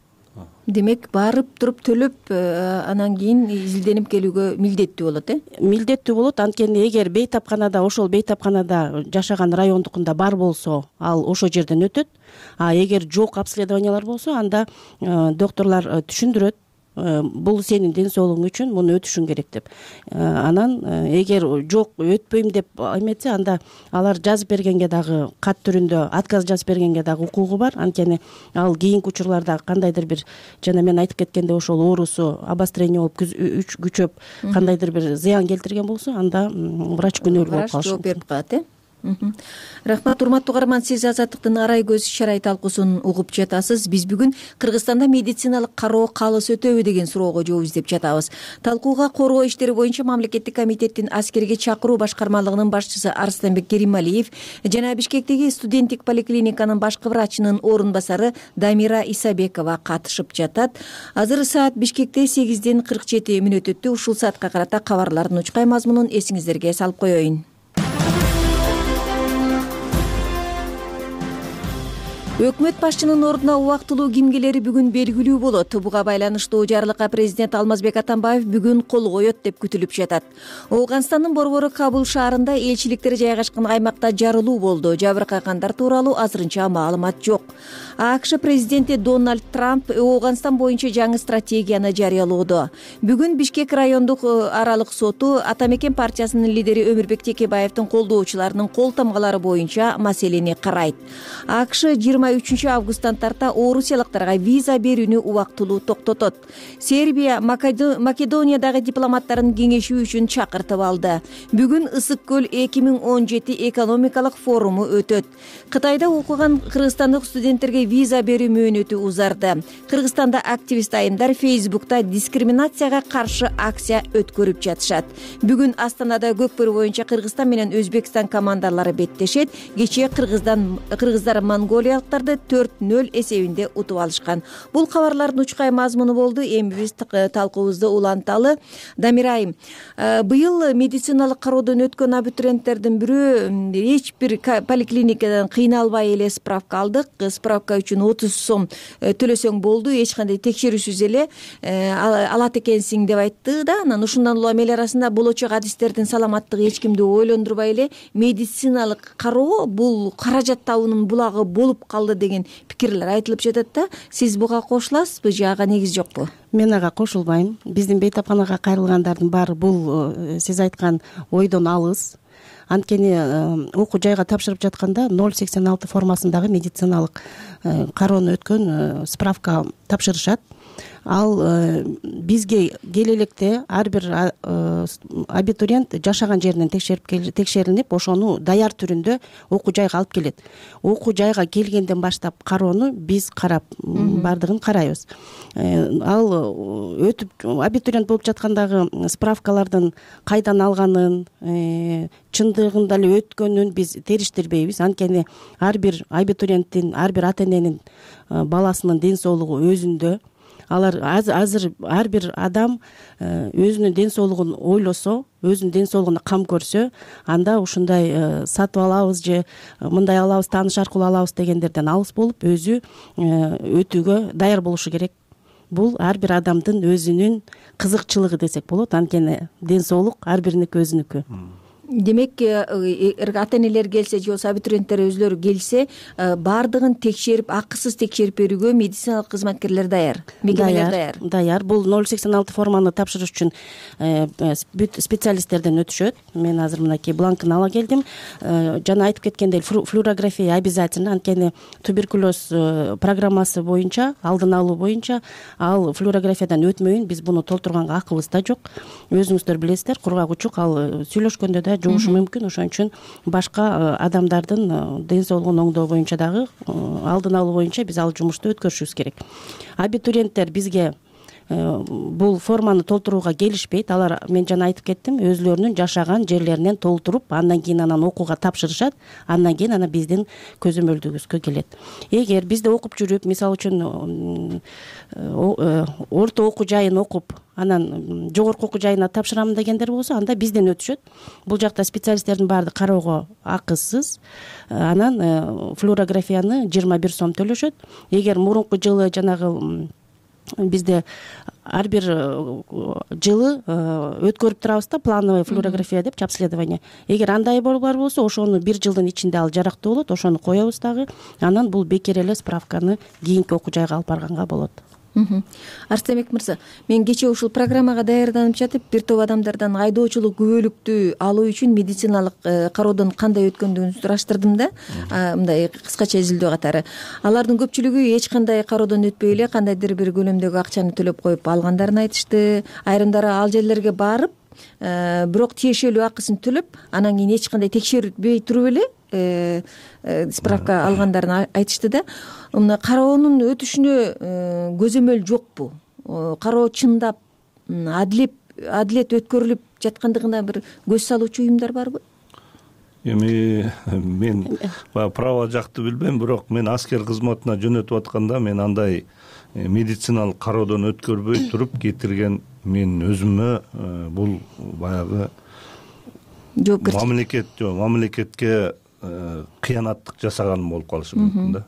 Демек, барып туруп төлөп анан кийин изилденип келүүгө милдеттүү болот, э? Милдеттүү болот. Анткени эгер бейтапканада, ошол бейтапканада жашаган райондукунда бар болсо, ал ошол жерден өтөт. А эгер жок обследованиялар болсо, анда докторлор түшүндүрөт, бул сенин ден соолугуң үчүн муну өтүшүң керек деп. Анан эгер жок өтпөйм деп эметсе, анда алар жазып бергенге дагы, кат түрүндө отказ жазып бергенге дагы укугу бар. Анткени ал кийинки учурларда кандайдыр бир, жана мен айтып кеткендей, ошол оорусу обострение болуп күчөп, кандайдыр бир зыян келтирген болсо, анда врач күнөөлүү болуп калышы мүмкүн. Врач жооп берип калат, э? Рахмат, урматтуу угарман, сиз Азаттыктын арай көз иш-чара талкуусун угуп жатасыз. Биз бүгүн Кыргызстанда медициналык кароо калыс өтөбү деген суроого жооп издеп жатабыз. Талкууга коргоо иштери боюнча мамлекеттик комитеттин аскерге чакыруу башкармалыгынын башчысы Арыстанбек Керималиев жана Бишкектеги студенттик поликлиниканын башкы врачынын орун басары Дамира Исабекова катышып жатат. Азыр саат Бишкекте сегизден кырк жети мүнөт өттү. Ушул саатка карата кабарлардын учкай мазмунун эсиңиздерге салып коеюн. Өкмөт башчынын ордуна убактылуу кимгелери бүгүн белгилүү болот. Буга байланыштуу жарлыкка президент Алмазбек Атамбаев бүгүн кол коет деп күтүлүп жатат. Ооганстандын борбору Кабул шаарында элчиликтер жайгашкан аймакта жарылуу болду. Жабыркагандар тууралуу азырынча маалымат жок. АКШ президенти Дональд Трамп Ооганстан боюнча жаңы стратегияны жарыялоодо. Бүгүн Бишкек райондук аралык соту Атамекен партиясынын лидери Өмүрбек Текебаевдин колдоочуларынын кол тамгалары боюнча маселени карайт. АКШ жыйырма үчүнчү августтан тарта орусиялыктарга виза берүүнү убактылуу токтотот. Сербия Македониядагы дипломаттарын кеңешүү үчүн чакыртып алды. Бүгүн Ысык көл эки миң он жети экономикалык форуму өтөт. Кытайда окуган кыргызстандык студенттерге виза берүү мөөнөтү узарды. Кыргызстанда активист айымдар Фейсбукта дискриминацияга каршы акция өткөрүп жатышат. Бүгүн Астанада көкбөрү боюнча Кыргызстан менен Өзбекстан командалары беттешет. Кечээ Кыргыздан кыргыздар монголиялыктарды төрт нөл эсебинде утуп алышкан. Бул кабарлардын учкай мазмуну болду. Эми биз талкуубузду уланталы. Дамир айым, быйыл медициналык кароодон өткөн абитуриенттердин бирөө эч бир поликлиникадан кыйналбай эле справка алдык. Справка үчүн отуз сом төлөсөң болду, эч кандай текшерүүсүз эле алат экенсиң деп айтты да. Анан ушундан улам эл арасында болочок адистердин саламаттыгы эч кимди ойлондурбай эле медициналык кароо бул каражат табуунун булагы болуп калды деген пикирлер айтылып жатат да. Сиз буга кошуласызбы же ага негиз жокпу? Мен ага кошулбайм. Биздин бейтапканага кайрылгандардын баары бул сиз айткан ойдон алыс. Анткени окуу жайга тапшырып жатканда ноль сексен алты формасындагы медициналык кароону өткөн справка тапшырышат. Ал бизге келе электе ар бир абитуриент жашаган жеринен текшерип текшерилип, ошону даяр түрүндө окуу жайга алып келет. Окуу жайга келгенден баштап кароону биз карап, бардыгын карайбыз. Ал өтүп абитуриент болуп жаткандагы справкалардын кайдан алганын, чындыгында эле өткөнүн биз териштирбейбиз. Анткени ар бир абитуриенттин, ар бир ата эненин баласынын ден соолугу өзүндө. Алар азыр ар бир адам өзүнүн ден соолугун ойлосо, өзүнүн ден соолугуна кам көрсө, анда ушундай сатып алабыз же мындай алабыз, тааныш аркылуу алабыз дегендерден алыс болуп, өзү өтүүгө даяр болушу керек. Бул ар бир адамдын өзүнүн кызыкчылыгы десек болот. Анткени ден соолук ар бириники өзүнүкү. Демек, ата энелер келсе же болбосо абитуриенттер өзлөрү келсе, бардыгын текшерип, акысыз текшерип берүүгө медициналык кызматкерлер даяр, мекемелер даяр. Даяр. Бул ноль сексен алты форманы тапшырыш үчүн специалисттерден өтүшөт. Мен азыр мынакей бланкын ала келдим. Жана айтып кеткендей, флюорография обязательно. Анткени туберкулез программасы боюнча, алдын алуу боюнча, ал флюорографиядан өтмөйүн биз буну толтурганга акыбыз да жок. Өзүңүздөр билесиздер, кургак учук, ал сүйлөшкөндө да жугушу мүмкүн. Ошон үчүн башка адамдардын ден соолугун оңдоо боюнча дагы, алдын алуу боюнча биз ал жумушту өткөрүшүбүз керек. Абитуриенттер бизге бул форманы толтурууга келишпейт. Алар, мен жана айтып кеттим, өзлөрүнүн жашаган жерлеринен толтуруп, андан кийин анан окууга тапшырышат. Андан кийин анан биздин көзөмөлдүгүбүзгө келет. Эгер бизде окуп жүрүп, мисалы үчүн орто окуу жайын окуп, анан жогорку окуу жайына тапшырам дегендер болсо, анда бизден өтүшөт. Бул жакта специалисттердин баардыгы кароого акысыз. Анан флюорографияны жыйырма бир сом төлөшөт. Эгер мурунку жылы жанагы бизде ар бир жылы өткөрүп турабыз да, плановый флюорография деп, обследование. Эгер андай бар болсо, ошону бир жылдын ичинде ал жарактуу болот, ошону коебуз дагы. Анан бул бекер эле справканы кийинки окуу жайга алып барганга болот. Арстемек мырза, мен кечээ ушул программага даярданып жатып, бир топ адамдардан айдоочулук күбөлүктү алуу үчүн медициналык кароодон кандай өткөндүгүн сураштырдым да, мындай кыскача изилдөө катары. Алардын көпчүлүгү эч кандай кароодон өтпөй эле кандайдыр бир көлөмдөгү акчаны төлөп коюп алгандарын айтышты. Айрымдары ал жерлерге барып, бирок тиешелүү акысын төлөп, анан кийин эч кандай текшертпей туруп эле справка алгандарын айтышты да. Мына кароонун өтүшүнө көзөмөл жокпу? Кароо чындап адилет адилет өткөрүлүп жаткандыгына бир көз салуучу уюмдар барбы? Эми мен право жакты билбейм, бирок мен аскер кызматына жөнөтүп атканда мен андай медициналык кароодон өткөрбөй туруп кетирген мен өзүмө бул баягы жоопкерчилик мамлекет мамлекетке кыянаттык жасаганым болуп калышы мүмкүн да.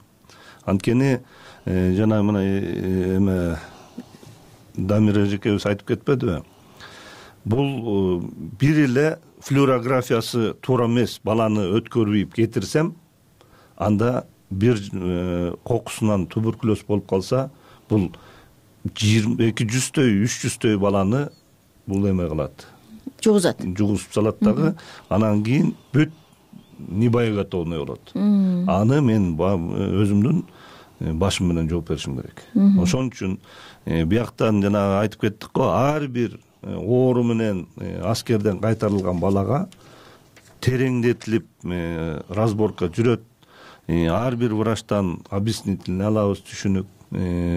Анткени жана мына эме Дамир эжекебиз айтып кетпедиби? Бул бир эле флюорографиясы туура эмес баланы өткөрбөйүп кетирсем, анда бир кокусунан туберкулез болуп калса, бул эки жүздөй, үч жүздөй баланы бул эме кылат. Жугузат. Жугузуп салат дагы. Анан кийин бүт небоеготовный болот. Аны мен өзүмдүн башым менен жооп беришим керек. Ошон үчүн бияктан жана айтып кеттик го, ар бир оору менен аскерден кайтарылган балага тереңдетилип разборка жүрөт. ар бир врачтан объяснительный алабыз, түшүнүк.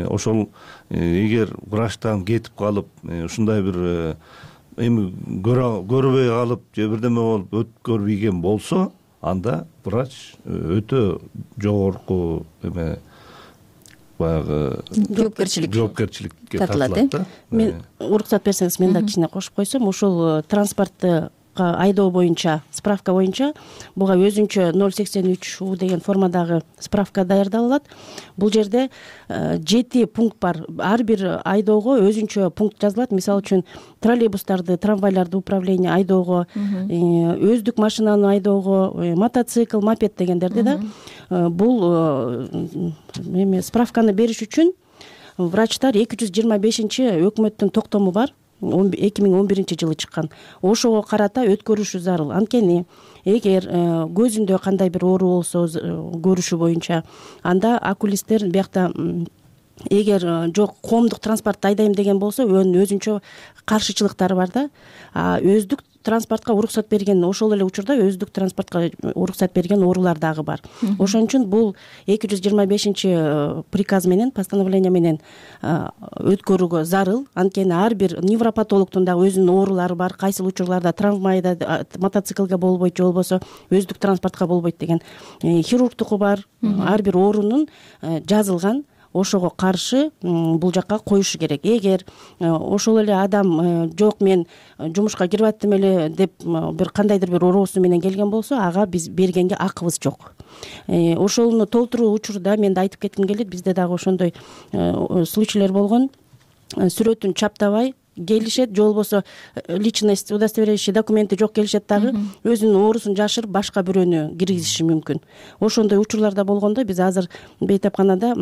Ошол эгер врачтан кетип калып ушундай бир эми көрбөй калып же бирдеме болуп өткөрбөйгөн болсо, анда врач өтө жогорку эме баягы жоопкерчилик жоопкерчиликке тартылат. Мен уруксат берсеңиз, мен да кичине кошуп койсом, ушул транспортты айдоо боюнча, справка боюнча буга өзүнчө ноль сексен үч у деген формадагы справка даярдалат. Бул жерде жети пункт бар. Ар бир айдоого өзүнчө пункт жазылат. Мисалы үчүн троллейбустарды, трамвайларды управление айдоого, өздүк машинаны айдоого, мотоцикл, мопед дегендерди да. Бул эме справканы бериш үчүн врачтар эки жүз жыйырма бешинчи өкмөттүн токтому бар. эки миң он биринчи жылы чыккан. Ошого карата өткөрүшү зарыл. Анткени эгер көзүндө кандай бир оору болсо көрүшү боюнча, анда окулисттер биякта эгер жок коомдук транспортто айдайм деген болсо, өзүнчө каршычылыктары бар да. А өздүк транспортко уруксат берген, ошол эле учурда өздүк транспортко уруксат берген оорулар дагы бар. Ошон үчүн бул эки жүз жыйырма бешинчи приказ менен, постановление менен өткөрүүгө зарыл. Анткени ар бир невропатологдун дагы өзүнүн оорулары бар. Кайсыл учурларда трамвайда, мотоциклге болбойт, же болбосо өздүк транспортко болбойт деген хирургтуку бар. Ар бир оорунун жазылган, ошого каршы бул жакка коюшу керек. Эгер ошол эле адам жок, мен жумушка кирип аттым эле деп бир кандайдыр бир оорусу менен келген болсо, ага биз бергенге акыбыз жок. Ошону толтуруу учурда мен да айтып кетким келет, бизде дагы ошондой случайлар болгон. Сүрөтүн чаптабай келишет, же болбосо личность удостоверяющий документи жок келишет дагы, өзүнүн оорусун жашырып башка бирөөнү киргизиши мүмкүн. Ошондой учурларда болгондо биз азыр бейтапканада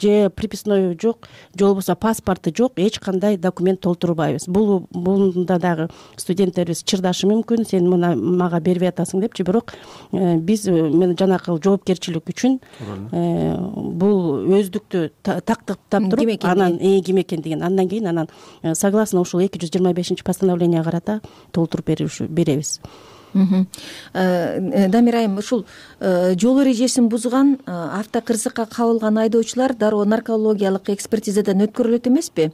же приписной жок, же болбосо паспорту жок, эч кандай документ толтурбайбыз. Бул бунда дагы студенттерибиз чырдашы мүмкүн, сен мына мага бербей атасың депчи, бирок биз мен жанакы жоопкерчилик үчүн бул өздүктү тактыктап туруп, анан ким экендигин андан кийин анан согласно ушул эки жүз жыйырма бешинчи постановление карата толтуруп беребиз. Дамир айым, ушул жол эрежесин бузган, автокырсыкка кабылган айдоочулар дароо наркологиялык экспертизадан өткөрүлөт эмеспи?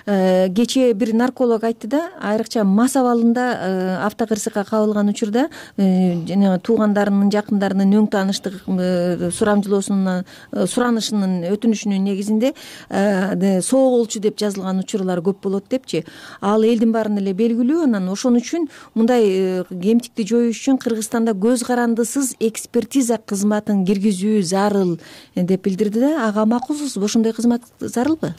Кечээ бир нарколог айтты да, айрыкча мас абалында автокырсыкка кабылган учурда жана туугандарынын, жакындарынын өң тааныштык сурамжылоосунун, суранышынын, өтүнүшүнүн негизинде соо болчу деп жазылган учурлар көп болот депчи. Ал элдин баарына эле белгилүү. Анан ошон үчүн мындай кемтикти жоюш үчүн Кыргызстанда көз карандысыз экспертиза кызматын киргизүү зарыл деп билдирди да. Ага макулсузбу? Ошондой кызмат зарылбы?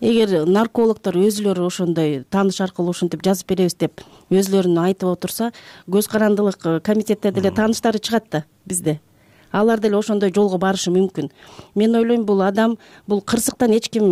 Эгер наркологдор өзүлөрү ошондой тааныш аркылуу ушинтип жазып беребиз деп өзүлөрүн айтып отурса, көз карандылык комитетте деле тааныштары чыгат да бизде. Алар деле ошондой жолго барышы мүмкүн. Мен ойлойм, бул адам бул кырсыктан эч ким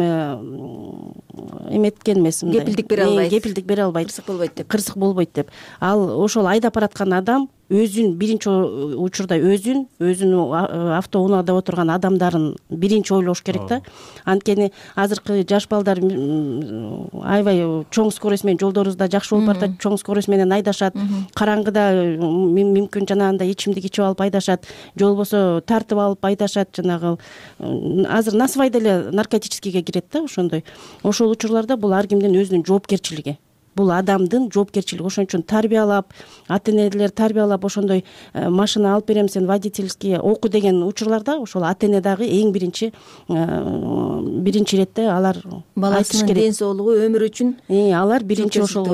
эметкен эмес, мындай кепилдик бере албайт. Кепилдик бере албайт. Кырсык болбойт деп. Кырсык болбойт деп. Ал ошол айдап бараткан адам өзүн биринчи учурда өзүн, өзүнүн автоунаада отурган адамдарын биринчи ойлош керек да. Анткени азыркы жаш балдар аябай чоң скорость менен жолдорубузда жакшы болуп баратат, чоң скорость менен айдашат, караңгыда мүмкүн жанагындай ичимдик ичип алып айдашат, же болбосо тартып алып айдашат, жанагы азыр насыбай деле наркотическийге кирет да ошондой. Ошол учурларда бул ар кимдин өзүнүн жоопкерчилиги. Бул адамдын жоопкерчилиги. Ошон үчүн тарбиялап, ата-энелер тарбиялап ошондой машина алып берем, сен водительский оку деген учурларда ошол ата-эне дагы эң биринчи биринчи иретте алар баласынын ден соолугу, өмүрү үчүн алар биринчи ошол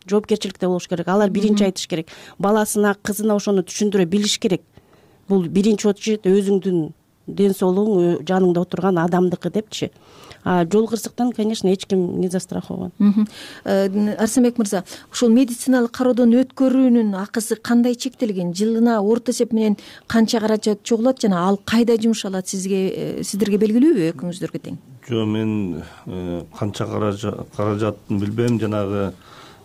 жоопкерчиликте болуш керек. Алар биринчи айтыш керек. Баласына, кызына ошону түшүндүрө билиш керек. Бул биринчи очередь өзүңдүн ден соолугуң, жаныңда отурган адамдыкы депчи. А жол кырсыктан, конечно, эч ким не застрахован. Арсенбек мырза, ушул медициналык кароодон өткөрүүнүн акысы кандай чектелген? Жылына орто эсеп менен канча каражат чогулат жана ал кайда жумшалат, сизге сиздерге белгилүүбү, экөөңүздөргө тең? Жок, мен канча каражатын билбейм. Жанагы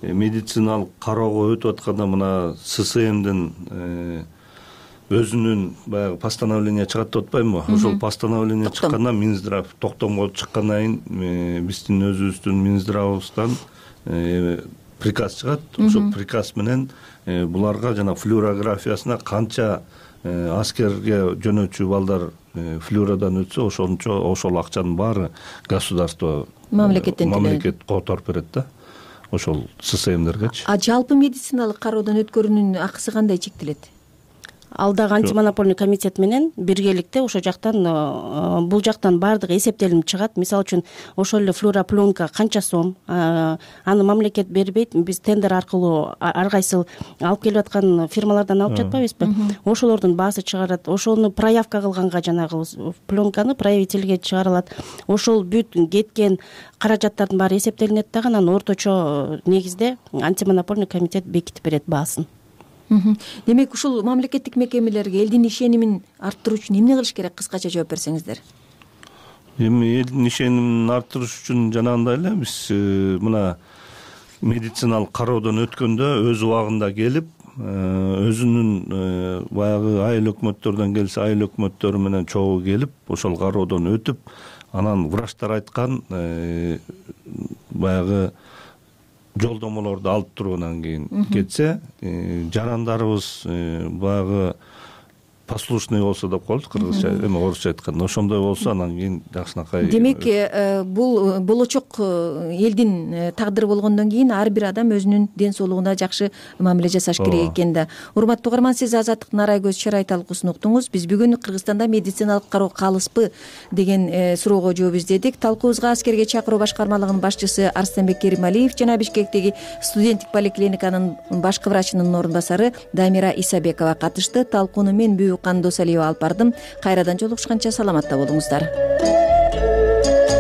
медициналык кароого өтүп атканда мына ССМдин өзүнүн баягы постановление чыгат деп атпаймынбы? Ошол постановление чыккандан Минздрав токтомго чыккандан кийин биздин өзүбүздүн Минздравыбыздан приказ чыгат. Ошол приказ менен буларга жана флюорографиясына канча аскерге жөнөтчү балдар флюрадан өтсө ошончо ошол акчанын баары государство мамлекеттен мамлекет которуп берет да ошол ссмдергечи. А жалпы медициналык кароодон өткөрүүнүн акысы кандай чектелет? Ал дагы антимонопольный комитет менен биргеликте ошол жактан бул жактан баардыгы эсептелип чыгат. Мисалы үчүн ошол эле флюропленка канча сом, аны мамлекет бербейт, биз тендер аркылуу ар кайсы алып келип аткан фирмалардан алып жатпайбызбы? Ошолордун баасы чыгарат. Ошону проявка кылганга жанагы пленканы проявительге чыгарылат. Ошол бүт кеткен каражаттардын баары эсептелинет дагы анан орточо негизде антимонопольный комитет бекитип берет баасын. Демек ушул мамлекеттик мекемелерге элдин ишенимин арттыруу үчүн эмне кылыш керек? Кыскача жооп берсеңиздер. Эми элдин ишенимин арттырыш үчүн жанагындай эле биз мына медициналык кароодон өткөндө өз убагында келип, өзүнүн баягы айыл өкмөттөрдөн келсе айыл өкмөттөрү менен чогуу келип, ошол кароодон өтүп, анан врачтар айткан баягы жолдомолорду алып тургандан кийин кетсе, жарандарыбыз баягы послушный болсо деп коебуз кыргызча, эми орусча айтканда ошондой болсо анан кийин жакшынакай. Демек бул болочок элдин тагдыры болгондон кийин ар бир адам өзүнүн ден соолугуна жакшы мамиле жасаш керек экен да. Урматтуу угарман, сиз Азаттык Нарай көз чарай талкуусун уктуңуз. Биз бүгүн Кыргызстанда медициналык кароо калыспы деген суроого жооп издедик. Талкуубузга аскерге чакыруу башкармалыгынын башчысы Арстенбек Керималиев жана Бишкектеги студенттик поликлиниканын башкы врачынын орун басары Дамира Исабекова катышты. Талкууну мен Кандосалиева алып бардым. Кайрадан жолугушканча саламатта болуңуздар.